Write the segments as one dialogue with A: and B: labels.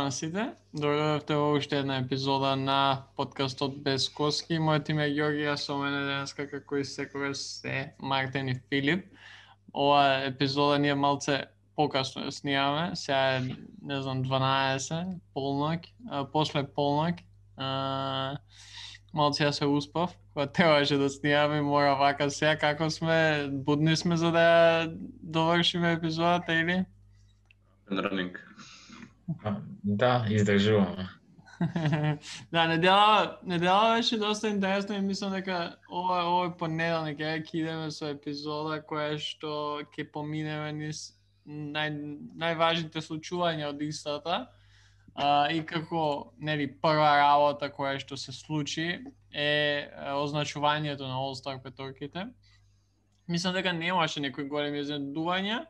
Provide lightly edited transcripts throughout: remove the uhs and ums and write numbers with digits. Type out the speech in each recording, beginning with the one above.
A: на сите. Дојдовте во уште една епизода на подкастот Без Коски. Моето име е Ѓорги, а со мене денеска како и секогаш се Мартин и Филип. Ова епизода ние малце покасно ја снимаме. Сега е, не знам, 12, полноќ, после полноќ. Малце ја се успав, кога требаше да снимаме, мора вака сега како сме, будни сме за да ја довршиме епизодата или?
B: Running.
C: Да, издржуваме.
A: Да, недела беше доста интересно и мислам дека овој понеделник ќе идеме со епизода која што ќе поминеме низ најважните случувања од истата. И како, нели, прва работа која што се случи е означувањето на All-Star петорките. Мислам дека немаше некои големи изненадувања.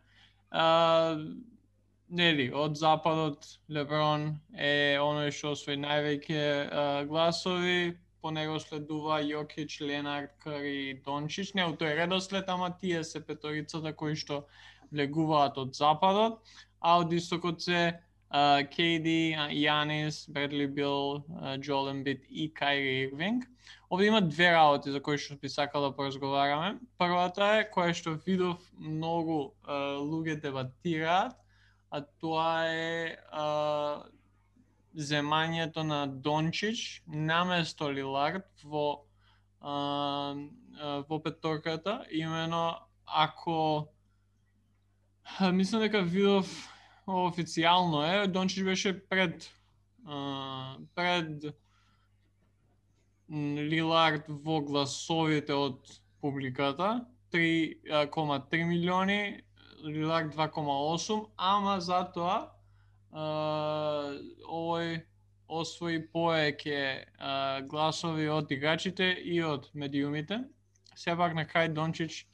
A: Нели, од западот Леброн е оној што освои највеќе гласови, по него следува Јокич, Ленард, Кари и Дончич. Не, тој редослед, ама тие се петорицата кои што влегуваат од западот, а од истокот се KD, Јанис, Бредли Бил, Джоел Ембид и Кайри Ирвинг. Овде има две работи за кои што би сакал да поразговараме. Првата е која што видов многу луѓе дебатираат, а тоа е земањето на Дончич наместо Лилард во петорката. Имено ако мислам дека видов официјално е, Дончич беше пред Лилард во гласовите од публиката, 3,3 милиони, Лилард 2,8, ама затоа овој освои повеќе гласови од играчите и од медиумите. Сепак на крај Дончич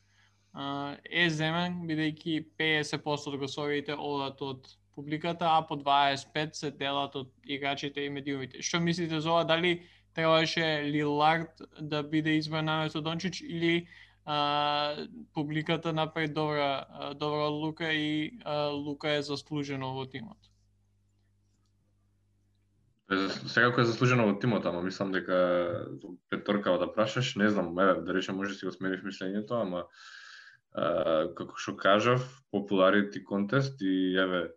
A: е земен, бидејќи 50% од гласовите одат од публиката, а по 25 се делат од играчите и медиумите. Што мислите за ова? Дали требаше Лилард да биде избран наместо Дончич или публиката направи добра лука и лука е заслужено во тимот?
B: Секако е заслужено во тимот, ама мислам дека петорка да прашаш, не знам, да речем може си го сменив мислењето, ама како што кажав, popularity contest и еве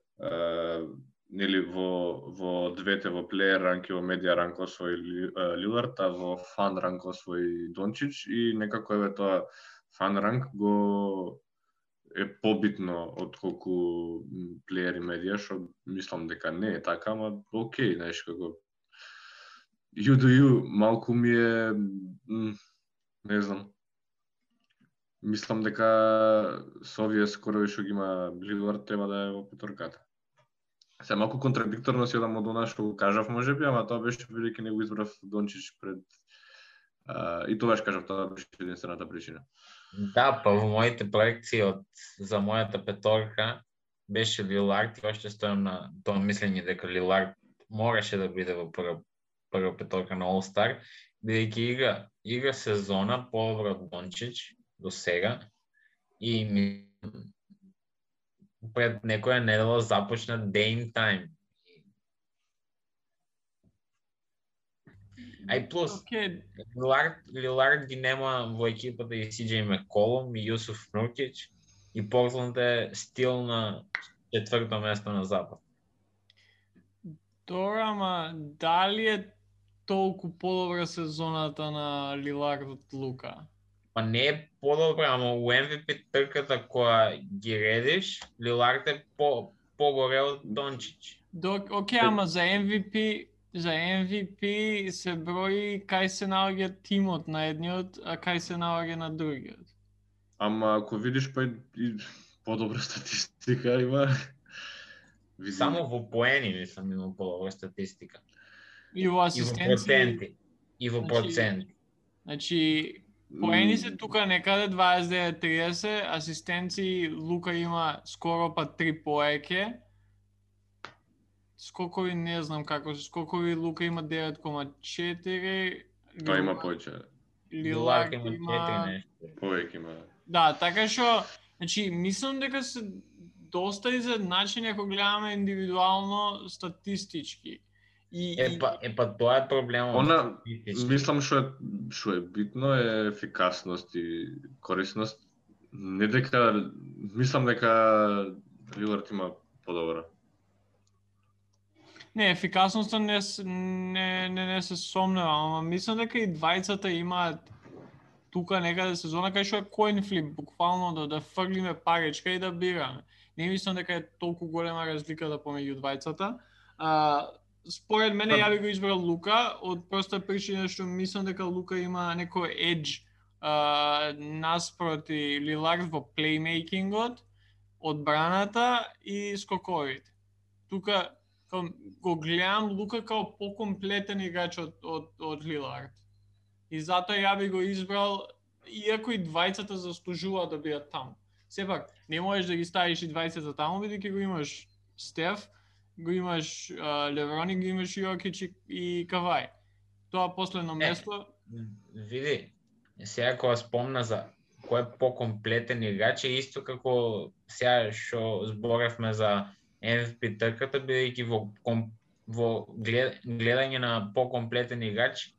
B: нели во двете, во плеер ранк и во медиа ранк освои Лилард, а во фан ранк освои Дончич и некако еве тоа фан ранк го е побитно отколку плеер и медиа, што мислам дека не е така, ама окей, знаеш како you do you, малку ми е не знам. Мислам дека со овие скорови што ги има Лилард треба да е во петорката. Се малку контрадикторно си одам од она што го кажав можеби, ама тоа беше бидејќи не го избрав Дончич пред и тогаш кажав тоа беше единствената причина.
C: Да, па во моите проекции за мојата петорка беше Лилард и още стојам на тоа мислење дека Лилард мораше да биде во прва петорка на All-Star, бидејќи игра сезона подобро од Дончич до сега и пред некоја недела започна Dame Time. Ај плюс, Лилард ги нема во екипата и CJ Макколум и Јусуф Нуркич и Портланд е стил на четврто место на запад.
A: Добро, ама дали е толку подобра сезоната на Лилард од Лука?
C: Па не е подобра, ама у MVP трката која ги редиш, Лилард е погоре од Дончич.
A: Окей, ама за MVP се брои кај се наоѓа тимот на едниот, а кај се наоѓа на другиот.
B: Ама ако видиш па и подобра статистика има.
C: Само во поени мислам има подобра статистика.
A: И во асистенци.
C: И во проценти.
A: Значи, поени се тука некаде 29-30, асистенци Лука има скоро па 3 поеќе. Скокови не знам како се, скокови Лука има 9,4.
B: Тоа има повеќе.
A: Лилард има
C: 4 нешто.
B: Повеќе има.
A: Да, така што, значи, мислам дека се доста изедначени ако гледаме индивидуално статистички.
C: Тоа е проблемот.
B: Она, мислам што е битно е ефикасност и корисност. Не дека, мислам дека Лилард има подобра.
A: Не, ефикасноста не се сомневам, ама мислам дека и двајцата имаат тука некаде сезона кај што е coin flip, буквално да фрлиме паричка и да бираме. Не мислам дека е толку голема разликата помеѓу двајцата. Според мене ја би го избрал Лука од проста причина што мислам дека Лука има некој edge наспроти Лилард во плеймейкингот, одбраната и скоковите. Тука го гледам Лука као покомплетен играч од Лилард. И затоа ја би го избрал, иако и двајцата заслужуваат да бидат таму. Сепак, не можеш да ги ставиш и двајцата таму, бидејќи го имаш Стеф, го имаш Леброн и го имаш Јокич и Кавај. Тоа последно место...
C: Види, сега кога спомна за кој е покомплетен играч, е исто како сега што зборевме за MVP трката, бидејќи во гледање на покомплетен играч,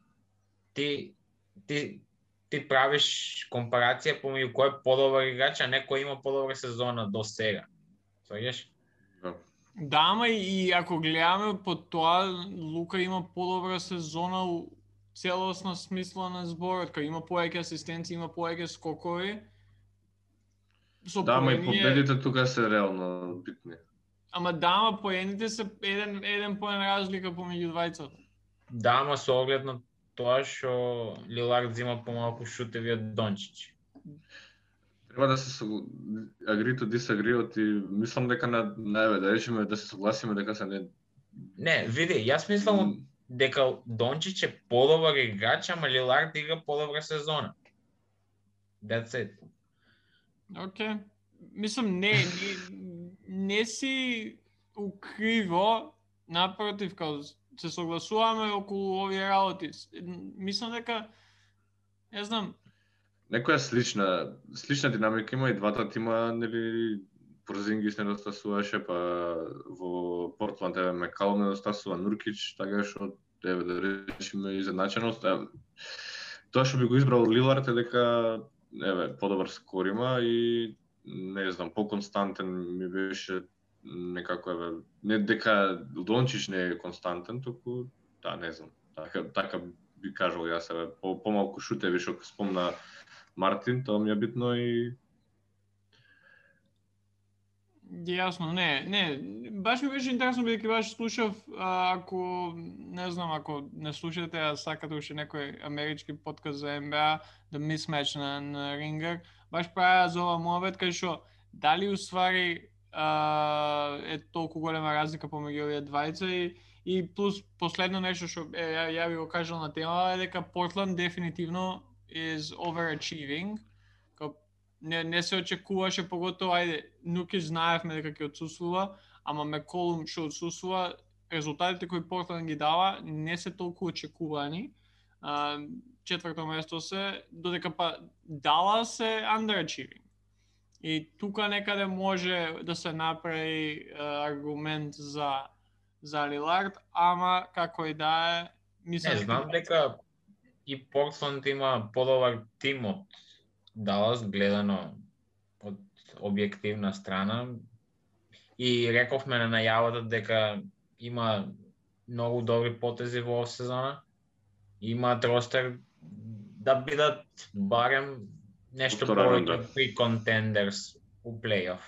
C: ти правиш компарација помеѓу кој е подобар играч, а не кој има подобра сезона до сега. Сваѓаш?
A: Да, ама и ако гледаме по тоа, Лука има подобра сезона у целосна смисла на зборот, кај има повеќе асистенции, има повеќе скокови.
B: Да, ама и победите тука се реално битни.
A: Ама да, ама поените се еден поен разлика помеѓу двајцата.
C: Да, ама со оглед на тоа што Лилард зима помалку шутеви од Дончич.
B: Треба да се agree to disagree, и мислам дека да речеме да се согласиме дека се не...
C: Не, види, јас мислам дека Дончич е подобар играч, ама Лилард игра подобра сезона. That's it.
A: Океј. Мислам, не си укриво, напротив, као се согласуваме околу овие работи. Мислам дека, не знам,
B: некоја слична динамика има и двата тима, нели, Порзингис недостасуваше, па во Портланд Мекалом недостасува, Нуркич, така што да речеме изедначеност. Тоа што би го избрал Лилард е дека подобар скор има и не знам, поконстантен ми беше некако не дека Дончич не е константен, туку да, не знам. Така би кажал јас помалку шутеви што спомна Мартин, тоа ми е битно и
A: Јасно, не, баш ми беше интересно бидејќи баш слушав, ако не слушате, а сакате уште некој амерички подкаст за NBA, The Mismatch на Ringer, баш правеа за ова муабет кај што дали уствари е толку голема разлика помеѓу овие двајца и плюс последно нешто што ја би го кажал на тема е дека Портланд дефинитивно is overachieving. Не се очекуваше, поготово, Нуркич знаевме дека ќе отсуствува, ама Меколум што отсуствува, резултатите кои Портланд ги дава не се толку очекувани. Четврто место се, додека па Далас е underachieving. И тука некаде може да се направи аргумент за Лилард, ама како и да е, мислам...
C: Не, знам дека и Портланд има подобар тим од Далас, гледано од објективна страна. И рековме на најавата дека има многу добри потези во сезона. Имаат ростер да бидат барем нешто повеќе при контендерс у плейоф.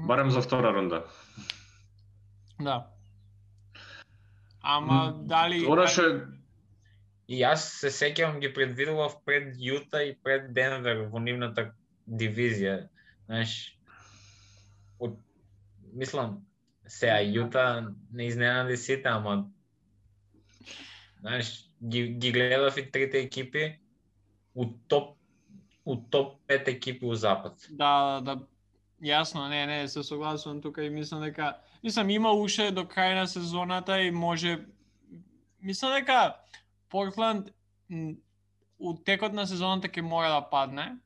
B: Барем за втора рунда.
A: Да. Ама дали...
C: И јас се сеќавам ги предвидував пред Јута и пред Денвер во нивната дивизија. Знаеш, мислам, сега Јута не изненади сите, ама знаеш, ги гледав и трите екипи у топ 5 екипи у Запад.
A: Да, јасно, не, се согласувам тука и мислам дека има уште до крај на сезоната и може мислам дека Портланд у текот на сезоната ќе мора да падне.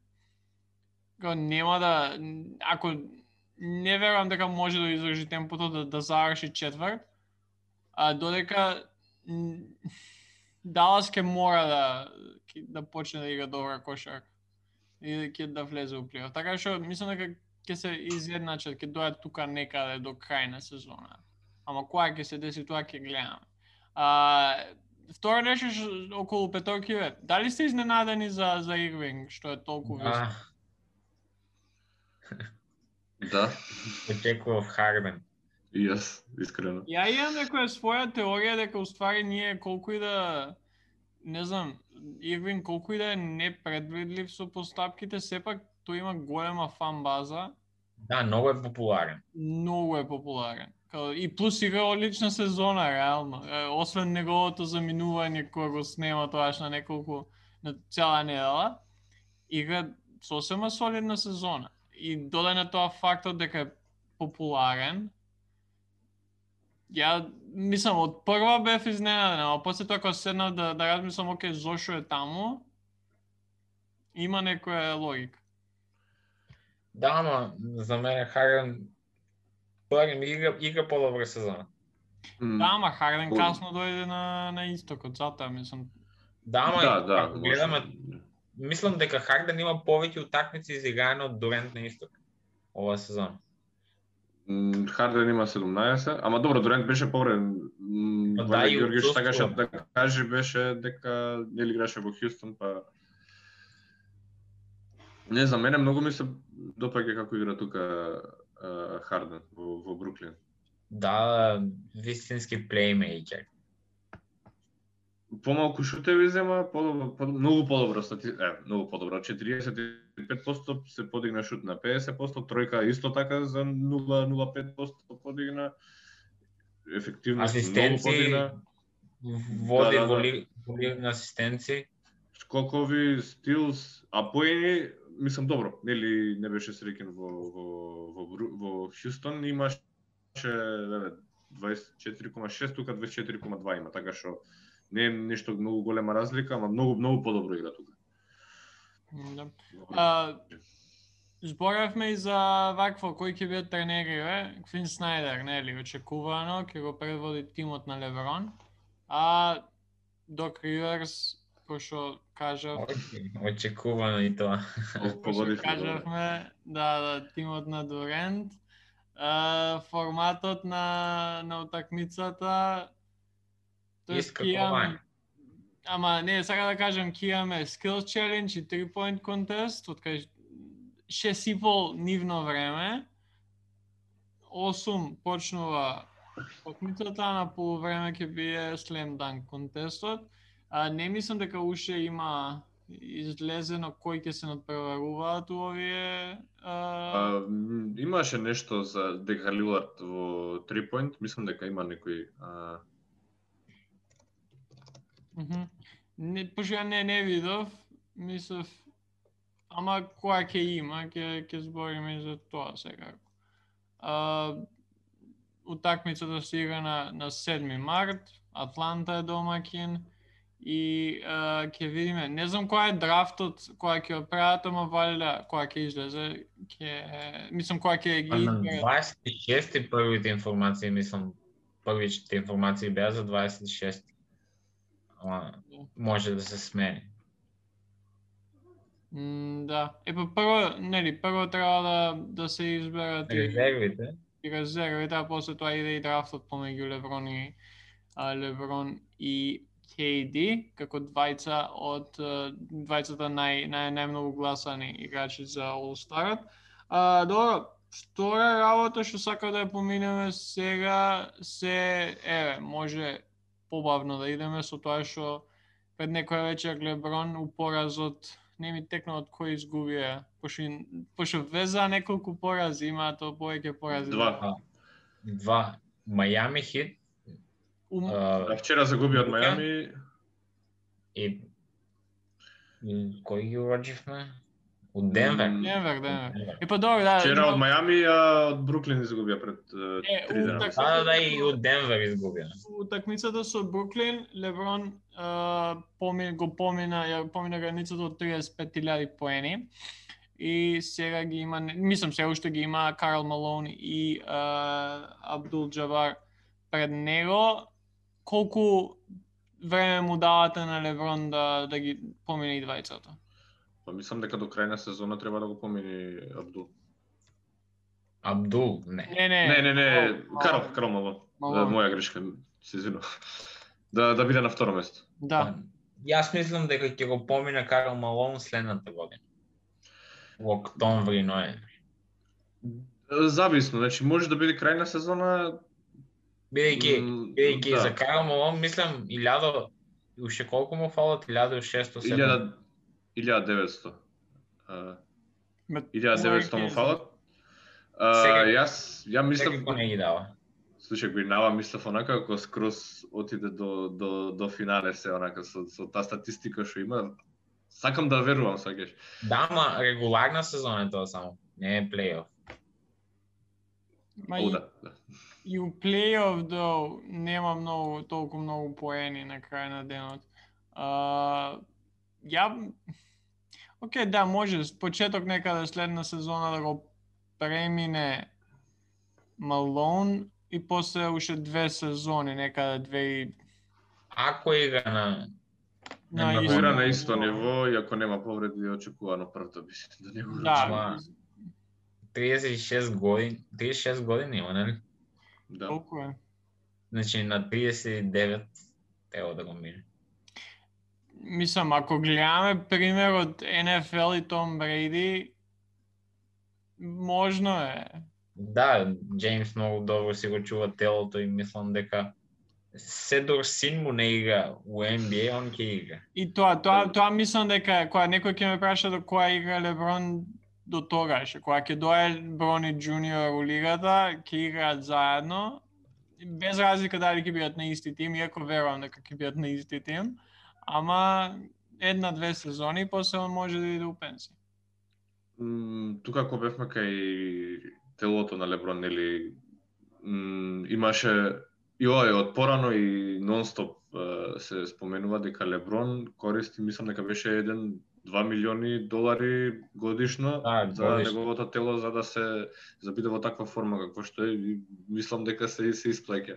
A: Нема да, ако не верувам дека може да издржи темпото да заврши четврт, а додека Далас ќе мора да почне да игра добра кошарка и ќе да влезе у плей-оф. Така што мислам дека ќе се изjednačат, ќе дојат тука некаде до крај на сезона. Ама кога ќе се деси тоа ќе гледаме. Второ нешто околу петоркиве, дали сте изненадени за Ирвинг што е толку висок?
B: Да.
C: Очекував Харден.
B: И јас, искрено.
A: Ја имам некоја своја теорија дека уствари ние колку и да, не знам, Ирвинг колку и да е непредвидлив со постапките, сепак тој има голема фан база.
C: Да, многу е популарен.
A: Многу е популарен. И плюс игра одлична сезона, реално. Освен неговото заминување кога го снема тоаш на цела недела, игра сосема солидна сезона. И додај на тоа фактот дека е популарен. Ја мислам од прва бев изненаден, а после тоа кога седнав да размислам оке зошто е таму, има некоја логика.
C: Да, ама за мене Харден игра по-добра сезона.
A: Да, ама Харден касно дојде на истокот, затоа мислам.
C: Да, ама
B: да,
C: гледаме, мислам дека Харден има повеќе утакмици изиграни од Дурент на исток оваа сезона.
B: Харден има 17, ама добро, Дурент беше повреден.
C: Да, и
B: Георгиевич сакаше да каже беше дека нели играше во Хјустон, па не знам, мене многу ми се допаѓа како игра тука Харден во Бруклин.
C: Да, вистински плеймејкер.
B: Помалку шутеви зема, многу подобро многу подобро. 45% се подигна шут на 50%, тројка исто така за 0,05% подигна. Ефективност многу подигна.
C: Води во лига асистенци.
B: Скокови, стилс, а поени, мислам добро, нели не беше среќен во Хјустон, имаше 24,6, тука 24,2 има, така што не е нешто многу голема разлика, ама многу подобро игра тука.
A: Да. Зборавме и за вакво кој ќе биде тренери, Квин Снайдер, нели, очекувано ќе го предводи тимот на Леброн, а Док Риверс, кој кажав,
C: очекувано и тоа.
A: Кажавме, да, тимот на Дурент, форматот на утакмицата, ама не, сака да кажам, ќе имаме Skills Challenge и 3-point contest, од кај 6,5 нивно време, 8 почнува утакмицата, на полувреме ќе биде Slam Dunk контестот. Не мислам дека уште има излезено кој ќе се надпреваруваат овие.
B: Имаше нешто за дека Лилард во 3-point, мислам дека има некој.
A: Пошто ја не видов, мислев, ама која ќе има, ќе збориме и за тоа секако. Утакмицата се игра на 7 март, Атланта е домаќин и ќе видиме, не знам која е драфтот, која ќе прават, ама валја која ќе излезе, мислам која ќе ги
C: изберат. На 26 првите информации, мислам, првите информации беа за 26. Може да се смени.
A: Да. Прво треба да се изберат резервите, а после тоа иде и драфтот помеѓу Леброн и KD, како двајцата најмногу гласани играчи за All-Starот. Добро, втора работа што сакам да ја поминеме сега може побавно да идеме со тоа што пред некоја вечер Леброн у поразот, не ми текна од кој изгубија, пошто веза неколку порази, има тоа повеќе порази.
C: Два. Мајами Хит.
B: Вчера загуби од Мајами.
C: И кој ги уродживме? Од Денвер.
A: Денвер. Па добро, да.
B: Вчера од Мајами, а од Бруклин изгубија пред 3 дена.
C: Да, и од Денвер изгубија.
A: Утакмицата со Бруклин, Леброн помина границата од 35,000 поени и сега ги има, мислам се уште ги има Карл Малон и Абдул Џабар пред него. Колку време му давате на Леброн да ги помине и двајцата?
B: Па мислам дека до крај на сезона треба да го помини Абдул.
C: Абдул, не.
B: Не. Карл Малон. Моја грешка, се извинувам. Да биде на второ место.
A: Да.
C: Јас мислам дека ќе го помине Карл Малон следната година. Во октомври, ноември.
B: Зависно, значи може да биде крај на сезона.
C: Бидејќи за Карл Малон мислам 1000 уште колку му фалат 1600
B: 1900. 1900 му фалат. Ја мислам
C: дека не ги дава.
B: Слушај, Гринава мислев онака ако скроз отиде до финале се онака со таа статистика што има. Сакам да верувам, сакаш.
C: Да, ама регуларна сезона е тоа само, не е плей-оф.
A: И у плей-оф нема толку многу поени на крај на денот. Океј, да, може почеток некаде следна сезона да го премине Малон и после уште 2 сезони, некаде
C: Ако игра
B: на исто ниво и ако нема повреди, очекувано првто би да не го
A: Да.
C: 36 години има, нели?
B: Да.
A: Колку е?
C: Значи на 39 треба да го мине.
A: Мислам, ако гледаме примерот NFL и Том Брейди, можно е.
C: Да, Джеймс многу добро си го чува телото и мислам дека се дор син му не игра у NBA, он ќе игра.
A: И тоа мислам дека кога некој ќе ме праша до која игра Леброн до тогаш, кога ќе дое Брони Джуниор у лигата, ќе играат заедно, без разлика дали ќе бидат на исти тим, иако верувам дека ќе бидат на исти тим, ама 1-2 сезони, после он може да иде у пенсија.
B: Тука ако бевме кај телото на Леброн, нели, имаше и ова е од порано и нонстоп се споменува дека Леброн користи, мислам дека беше 1-2 милиони долари годишно за неговото тело за да се биде во таква форма како што е, и мислам дека се исплаќа.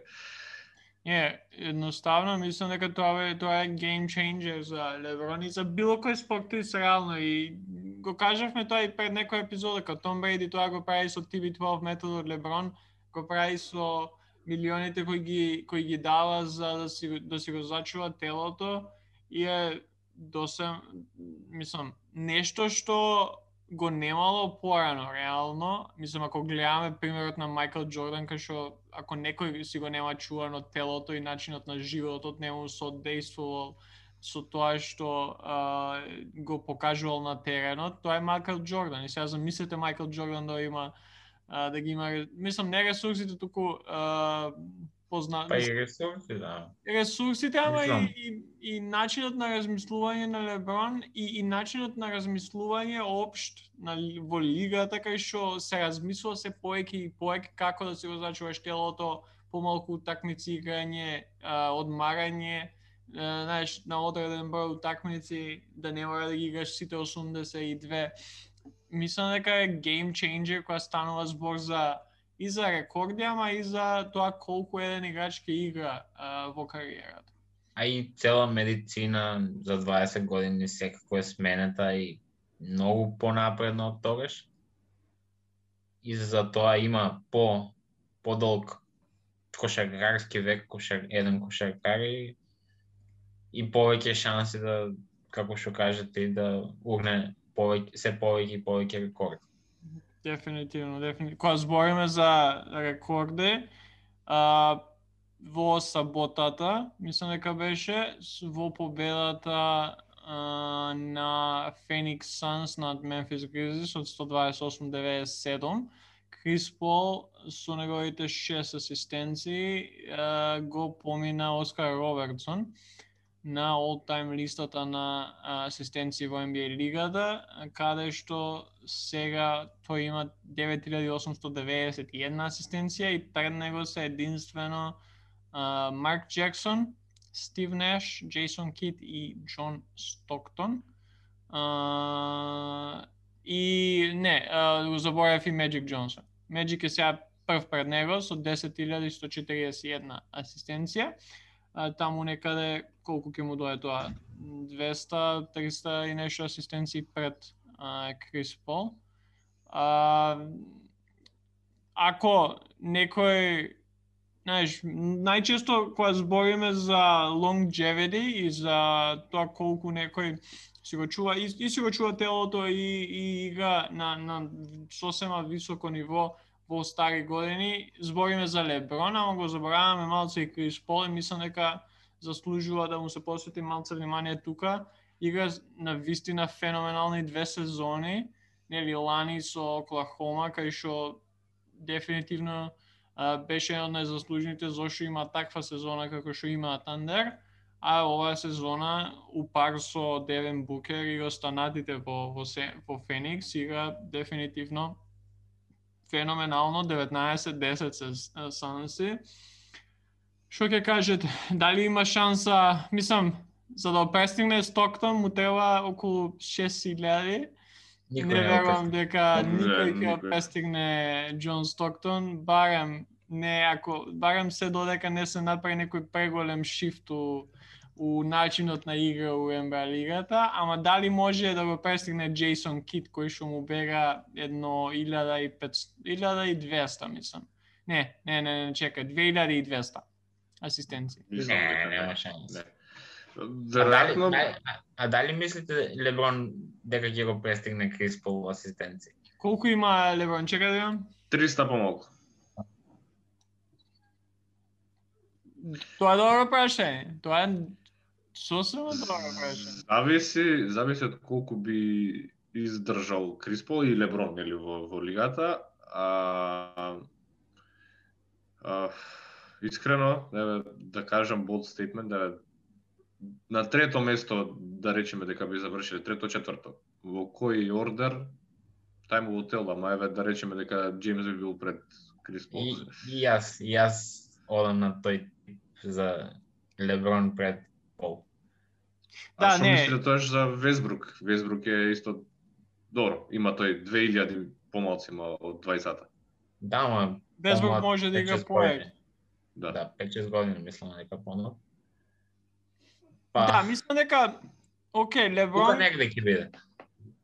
A: Едноставно мислам дека тоа е game changer за Леброн и за било кој спортист реално, и го кажавме тоа и пред некоја епизода, кога Том Брейди тоа го прави со TB12 методот, Леброн го прави со милионите кои ги дава за да си го зачува телото, и е мислам нешто што го немало порано реално. Мислам, ако гледаме примерот на Майкл Џордан, кај што ако некој си го нема чувано телото и начинот на животот, не му содействувал со тоа што го покажувал на теренот, тоа е Майкл Џордан. И сега замислете Майкл Џордан да ги има, мислам, не ресурсите, туку
C: Па и ресурси, да.
A: Ресурсите, ама и начинот на размислување на Леброн и начинот на размислување општ во лигата, кај што се размислува се повеќе и повеќе како да си го зачуваш телото, помалку утакмици играње, одмарање, знаеш, на одреден број утакмици, да не мора да ги играш сите 82. Мислам дека е game changer кога станува збор и за рекорди, ама и за тоа колку еден играч ќе игра во кариерата.
C: А и цела медицина за 20 години секако е сменета и многу понапредно од тогаш. И за тоа има подолг кошаркарски век, еден кошаркар и повеќе шанси да, како што кажете, да урне се повеќе и повеќе рекорди.
A: Дефинитивно. Кога збориме за рекорди, во саботата, мислам дека беше во победата на Phoenix Suns над Memphis Grizzlies од 128-97, Крис Пол со неговите 6 асистенции го помина Оскар Робертсон на all-time листата на асистенции во NBA лигата, каде што сега тој има 9891 асистенција и пред него се единствено Марк Джексон, Стив Неш, Джейсон Кид и Џон Стоктон. И не, го заборавив и Magic Johnson. Magic е сега прв пред него со 10.141 асистенција. Таму некаде колку ќе му дое тоа? 200, 300 и нешто асистенции пред Крис Пол. Ако некој, знаеш, најчесто кога збориме за longevity и за тоа колку некој си го чува и си го чува телото и игра на сосема високо ниво во стари години, збориме за Леброн, ама го забораваме малце и Крис Пол и мислам дека заслужува да му се посвети малце внимание тука. Игра на вистина феноменални 2 сезони, нели лани со Оклахома, кај што дефинитивно беше еден од најзаслужните зашто има таква сезона како што има Тандер, а оваа сезона упар со Девин Букер и останатите во Феникс игра дефинитивно феноменално, 19-10 се Санси. Што ќе кажете, дали има шанса, мислам, за да престигне Стоктон му треба околу 6.000. Не верувам дека никој ќе престигне Џон Стоктон, барем се додека не се направи некој преголем шифт у начинот на игра у НБА лигата, ама дали може да го престигне Джейсон Кит кој што му бега едно 1200, мислам. Не, чекај, 2200 асистенции.
C: Нема шанс.
B: Веројатно.
C: А дали мислите Леброн дека ќе го престигне Крис Пол асистенции?
A: Колку има Леброн? Чекај да имам.
B: 300 помалку.
A: Тоа е добро прашање. Тоа е сосема добро прашање.
B: Зависи од колку би издржал Крис Пол и Леброн нели во лигата. Искрено, да кажам bold statement, на трето место, да речеме дека би завршиле, трето, четврто. Во кој ордер, тај му тел, ама да речеме дека Джеймс би бил пред Крис Пол.
C: И јас одам на тој за Леброн пред Пол.
B: Да, што мислите тоа за Весбрук? Весбрук е исто добро, има тој 2000 помалци од 20-та.
C: Да, ама
A: Весбрук може да игра поек.
C: Да, 5-6 години мислам дека понов.
A: Да, мислам дека окей, Леброн
C: тука негде ќе биде.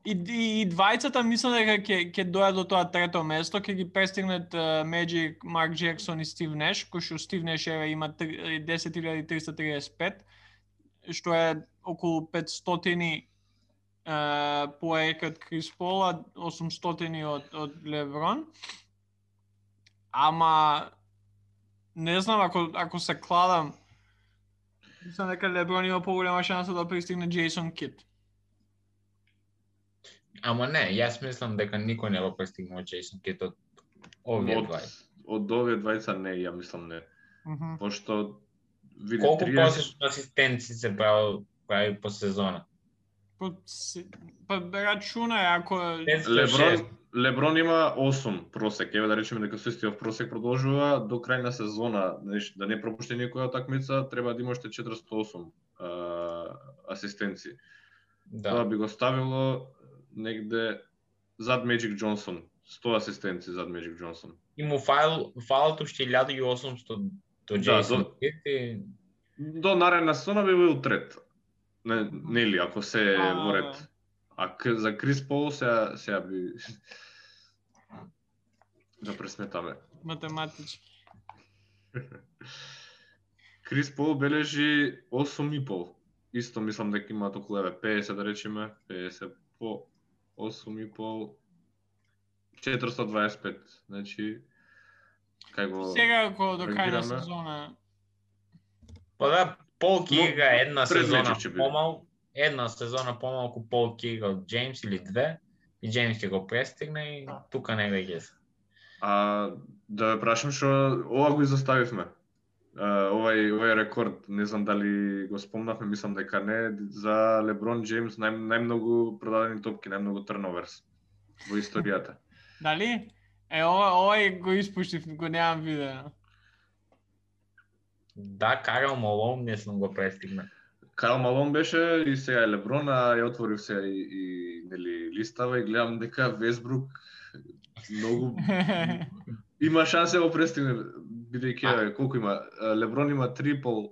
A: И двајцата мислам дека ќе дојдат до тоа трето место, ќе ги престигнат Magic, Марк Джексон и Стив Неш, кој што Стив Неш има 10.335, што е околу 500 поек од Крис Пол, 800 од Леброн. Ама не знам, ако се кладам, мислам дека Леброн има поголема шанса да пристигне Джейсон Кит.
C: Ама не, јас мислам дека никој не го пристигнува Джейсон Кит од овие двајца.
B: Од овие двајца не, ја мислам не. Пошто види
C: колку асистенции се прави по сезона?
A: Па рачунај ако
B: Леброн има 8 просек, да речеме дека со истиот просек продолжува до крај на сезона, да не пропушти никоја такмица, треба да има уште 408 асистенции.
C: Да.
B: Тоа би го ставило негде зад Magic Johnson, 100 асистенции зад Magic Johnson.
C: И му фалат уште 1800 до Джейсон Кит и
B: до наредна сезона би бил трет. Нели, ако се во ред. А за Крис Пол сега би да пресметаме.
A: Математички.
B: Крис Пол бележи 8,5. Исто мислам дека има околу 50 да речеме, 50 по 8,5 425. Значи кај го
A: сега ако до крај на сезона.
C: Па да, Пол игра една сезона помалку Пол игра од Джеймс или две и Джеймс ќе го престигне и тука негде ќе се.
B: Да ве прашам што ова го изоставивме. Овој рекорд, не знам дали го спомнавме, мислам дека не, за Леброн Джеймс најмногу продадени топки, најмногу турноверс во историјата.
A: Дали? Овој го испуштив, го немам видео.
C: Да, Карл Малон не сум го престигна.
B: Карл Малон беше и сега е Леброн, а ја отворив се и нели листава и гледам дека Весбрук многу има шансе да престигне, бидејќи колку има? Леброн има 3,5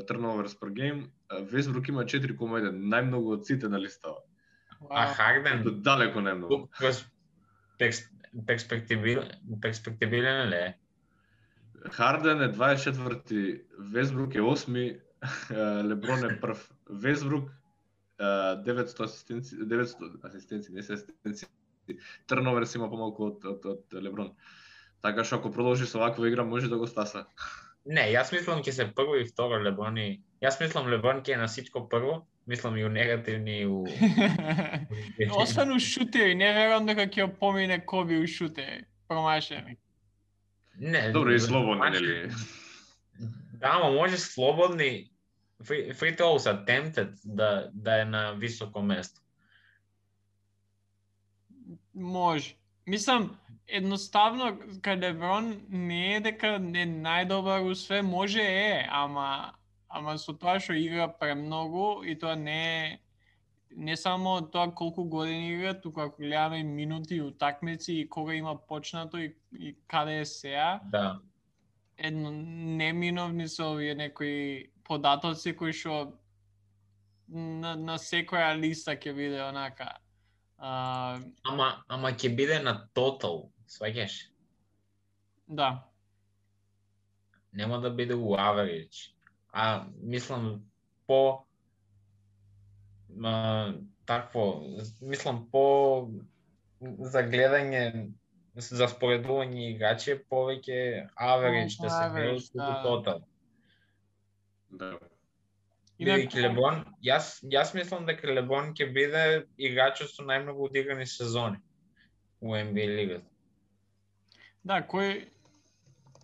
B: turnovers per game, Весбрук има 4,1, најмногу од сите на листава.
C: А Харден
B: далеко најмногу.
C: Перспективилен ли е?
B: Харден е 24-ти, Весбрук е 8-ми, Леброн е прв. Весбрук 900 асистенци, не се асистенци. Turnovers има помалку од Леброн. Така што ако продолжи со ваква игра може да го стаса.
C: Не, јас мислам ќе се прво и второ Леброн и... Јас мислам Леброн ќе е на ситко прво, мислам и у негативни и у...
A: Освен у шутери, не верувам дека ќе помине Коби у шутери, промашени.
C: Не,
B: добро и слободни, нели?
C: Да, ама може слободни free throws attempted да е на високо место.
A: Може. Мислам, едноставно, кај Леброн не е дека не најдобар у све, може ама со тоа што игра премногу и тоа не само тоа колку години игра, туку ако гледаме и минути и утакмици и кога има почнато и каде е сеа.
C: Да.
B: неминовни
A: се овие некои податоци кои што на секоја листа ќе биде онака.
C: Ама ќе биде на тотал, сваќаш?
A: Да.
C: Нема да биде у average. Мислам за гледање, за споредување играчи повеќе average да се гледа од тотал.
B: Да.
C: Бидејќи Леброн, јас мислам дека Леброн ќе биде играчот со најмногу одиграни сезони у NBA лигата.
A: Да, кој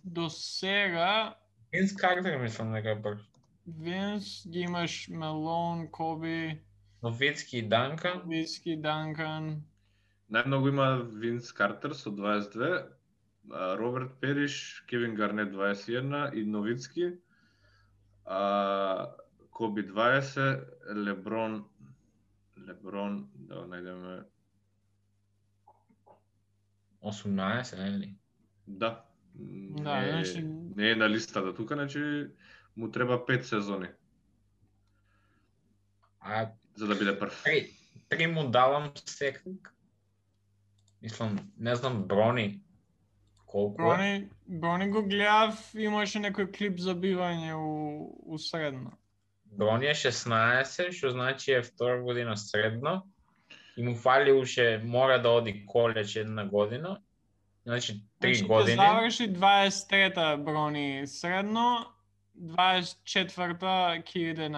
A: до сега
C: Винс Картер мислам дека е прв.
A: Винс, ги имаш Мелон, Коби,
C: Новицки и Данкан.
B: Најмногу има Винс Картер со 22, Роберт Периш, Кевин Гарнет 21 и Новицки. Коби 20, Леброн, да најдеме
C: 18, нели?
B: Да.
A: значи
B: Не е на листата тука, значи му треба 5 сезони. За да биде прв.
C: Три му давам секак. Мислам, не знам Брони колку е.
A: Брони го гледав, имаше некој клип за бивање у средно.
C: Брони е 16, што значи е втора година средно. И му фали уште, мора да оди колеџ една година. Значи 3 години.
A: Ќе заврши 23-та Брони средно, 24-та ќе иде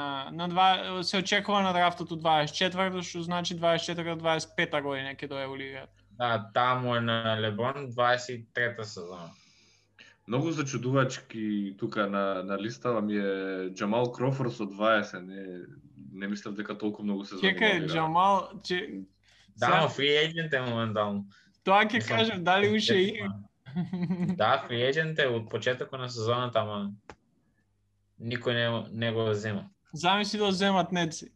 A: се очекува на драфтот 24-та, што значи 24-25-та година ќе дое у лигата.
C: Да, таму е на Леброн 23-та сезона.
B: Многу зачудувачки тука на листава ми е Джамал Крофорд со 20, не мислев дека толку многу сезони.
A: Чекај, Джамал,
C: да, фри ејджент е моментално.
A: Тоа ќе кажем, дали уште игра?
C: Да, фри ејджент е од почетокот на сезоната, ама никој не го зема.
A: Замисли да земат Неци.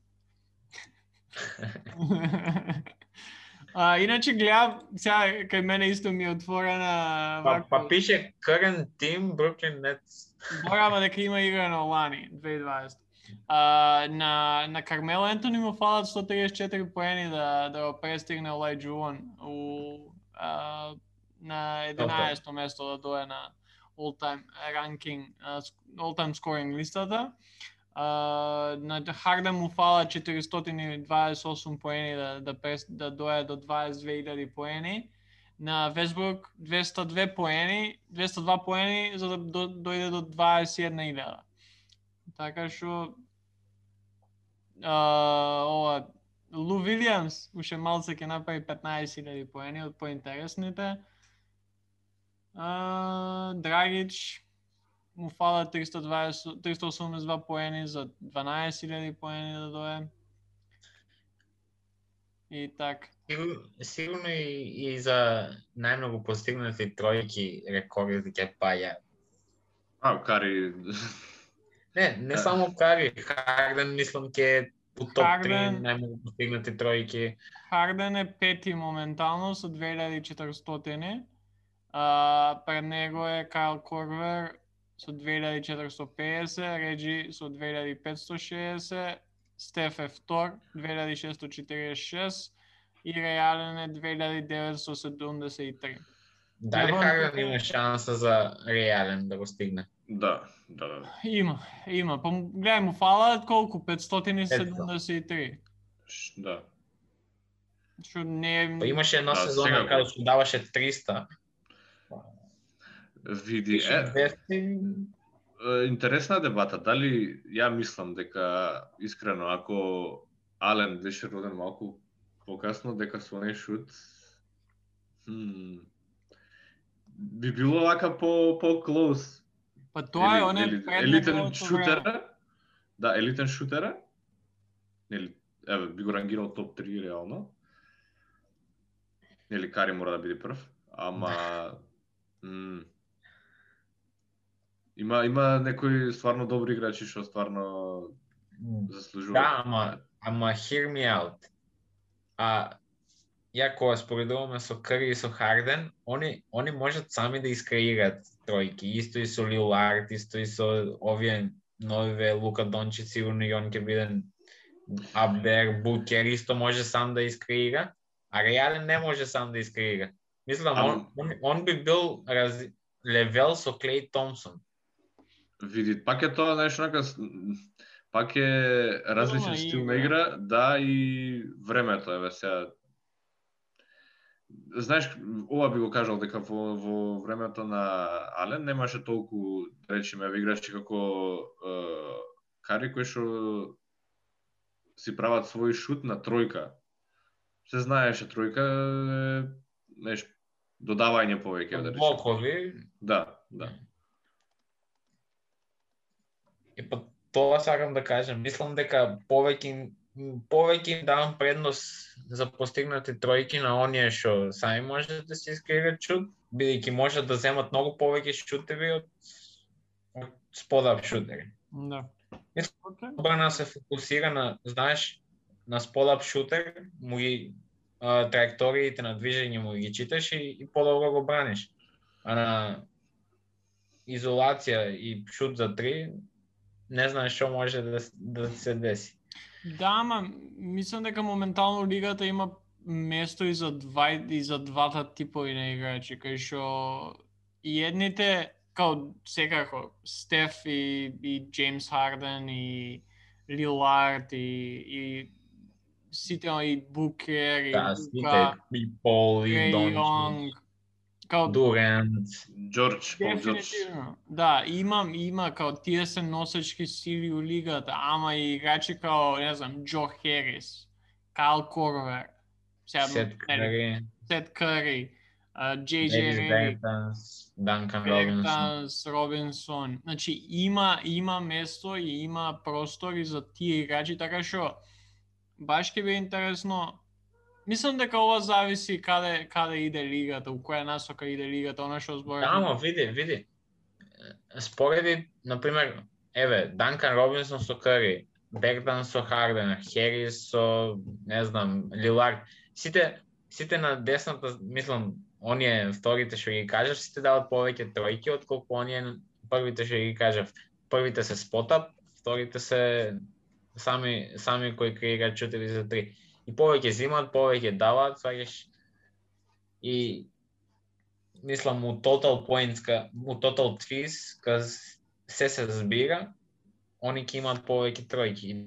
A: Иначе гледам, сега кај мене исто ми е отворена...
C: Па пише current team Brooklyn Nets.
A: Ама дека има игра на Лани, 2020. На Кармело Ентони му фалат 134 поени да го престигне Олајджуон на 11-то место да дое на all-time ranking, all-time scoring листата. На Харден му фала 428 поени да дое до 22,000 поени. На Весбрук 202 поени за да дојде до 21,000. Така што Лу Вилијамс уште малце ќе направи 15,000 поени од поинтересните. Драгич му фала 382 поени за 12,000 поени да дое. И така.
C: Сигурно и за најмногу постигнати тројки рекорди ќе паја.
B: Кари
C: Не само Кари, Харден мислам ќе е у топ 3 најмногу постигнати тројки.
A: Харден е пети моментално со 2400. Пред него е Кайл Корвер со 2450, Реджи со 2560, Стеф е втор 2646 и Реј Ален е 2973.
C: Дали Харден има шанса за Реј Ален да го стигне?
B: Да.
A: Има. Гледај му фалаат колку? 573.
B: Да.
A: Што не е...
C: Па имаше една сезона кога што даваше 300.
B: Види, интересна дебата. Дали ја мислам дека искрено ако Ален беше роден малку покасно, дека со не шут би било вака по-клоус.
A: Па тоа е оне
B: елитен шутера. Да, елитен шутера. Нели, еве би го рангирал топ 3 реално. Нели Кари мора да биде прв, ама има некои стварно добри играчи што стварно заслужуваат.
C: Да, ама hear me out. Ја кога споредуваме со Кари и со Харден, они можат сами да искреираат тројки. Исто и со Лилард, исто и со овие новиве Лука Дончич, сигурно и он ќе биде Абер, Букер, исто може сам да искреира, а Реален не може сам да искреира. Мислам, он би бил левел со Клей Томсон.
B: Види, пак е тоа нешто нака, пак е различен стил на игра, да, и времето, еве сега. Знаеш, ова би го кажал дека во времето на Ален немаше толку, да речеме, играчи како Кари кои што си прават свој шут на тројка. Се знаеше тројка, нешто додавање повеќе, да речеме.
C: Блокови.
B: Да.
C: И па тоа сакам да кажам, мислам дека повеќе давам предност за постигнати тројки на оние што сами можат да се искреираат шут, бидејќи можат да земат многу повеќе шутеви од спот-ап шутери.
A: Да.
C: Добра се фокусира на, знаеш, на спот-ап шутер, му ги траекториите на движење му ги читаш и подобро го браниш. А на изолација и шут за 3 не знаеш што може да се деси.
A: Да, ама мислам дека моментално лигата има место и за двата типови на играчи, кај што и едните као секако Стеф и Джеймс Харден и Лилард и сите и Букер и
C: Лука, и Пол и Дончич, Дурант,
B: Джордж Пол Джордж.
A: Да, има као тие се носечки сили у лигата, ама и играчи као, не знам, Джо Херис, Кайл Корвер,
C: Сет
A: Кари, Джей
C: Бертанс, Данкан
A: Робинсон. Значи има место и има простор и за тие играчи, така што баш ќе биде интересно. Мислам дека ова зависи каде иде лигата, у која насока иде лигата, она што зборам.
C: Да, ама види. Спореди, например, еве, Данкан Робинсон со Кари, Бертанс со Харден, Херис со, не знам, Лилард. Сите на десната, мислам, оние вторите што ги кажав, сите дават повеќе тројки отколку оние првите што ги кажав. Првите се спотап, вторите се сами кои креираат шутери за 3. И повеќе зимат, повеќе даваат, сваќаш. И мислам у total points, у total threes, кога се збира, они ќе имаат повеќе тројки.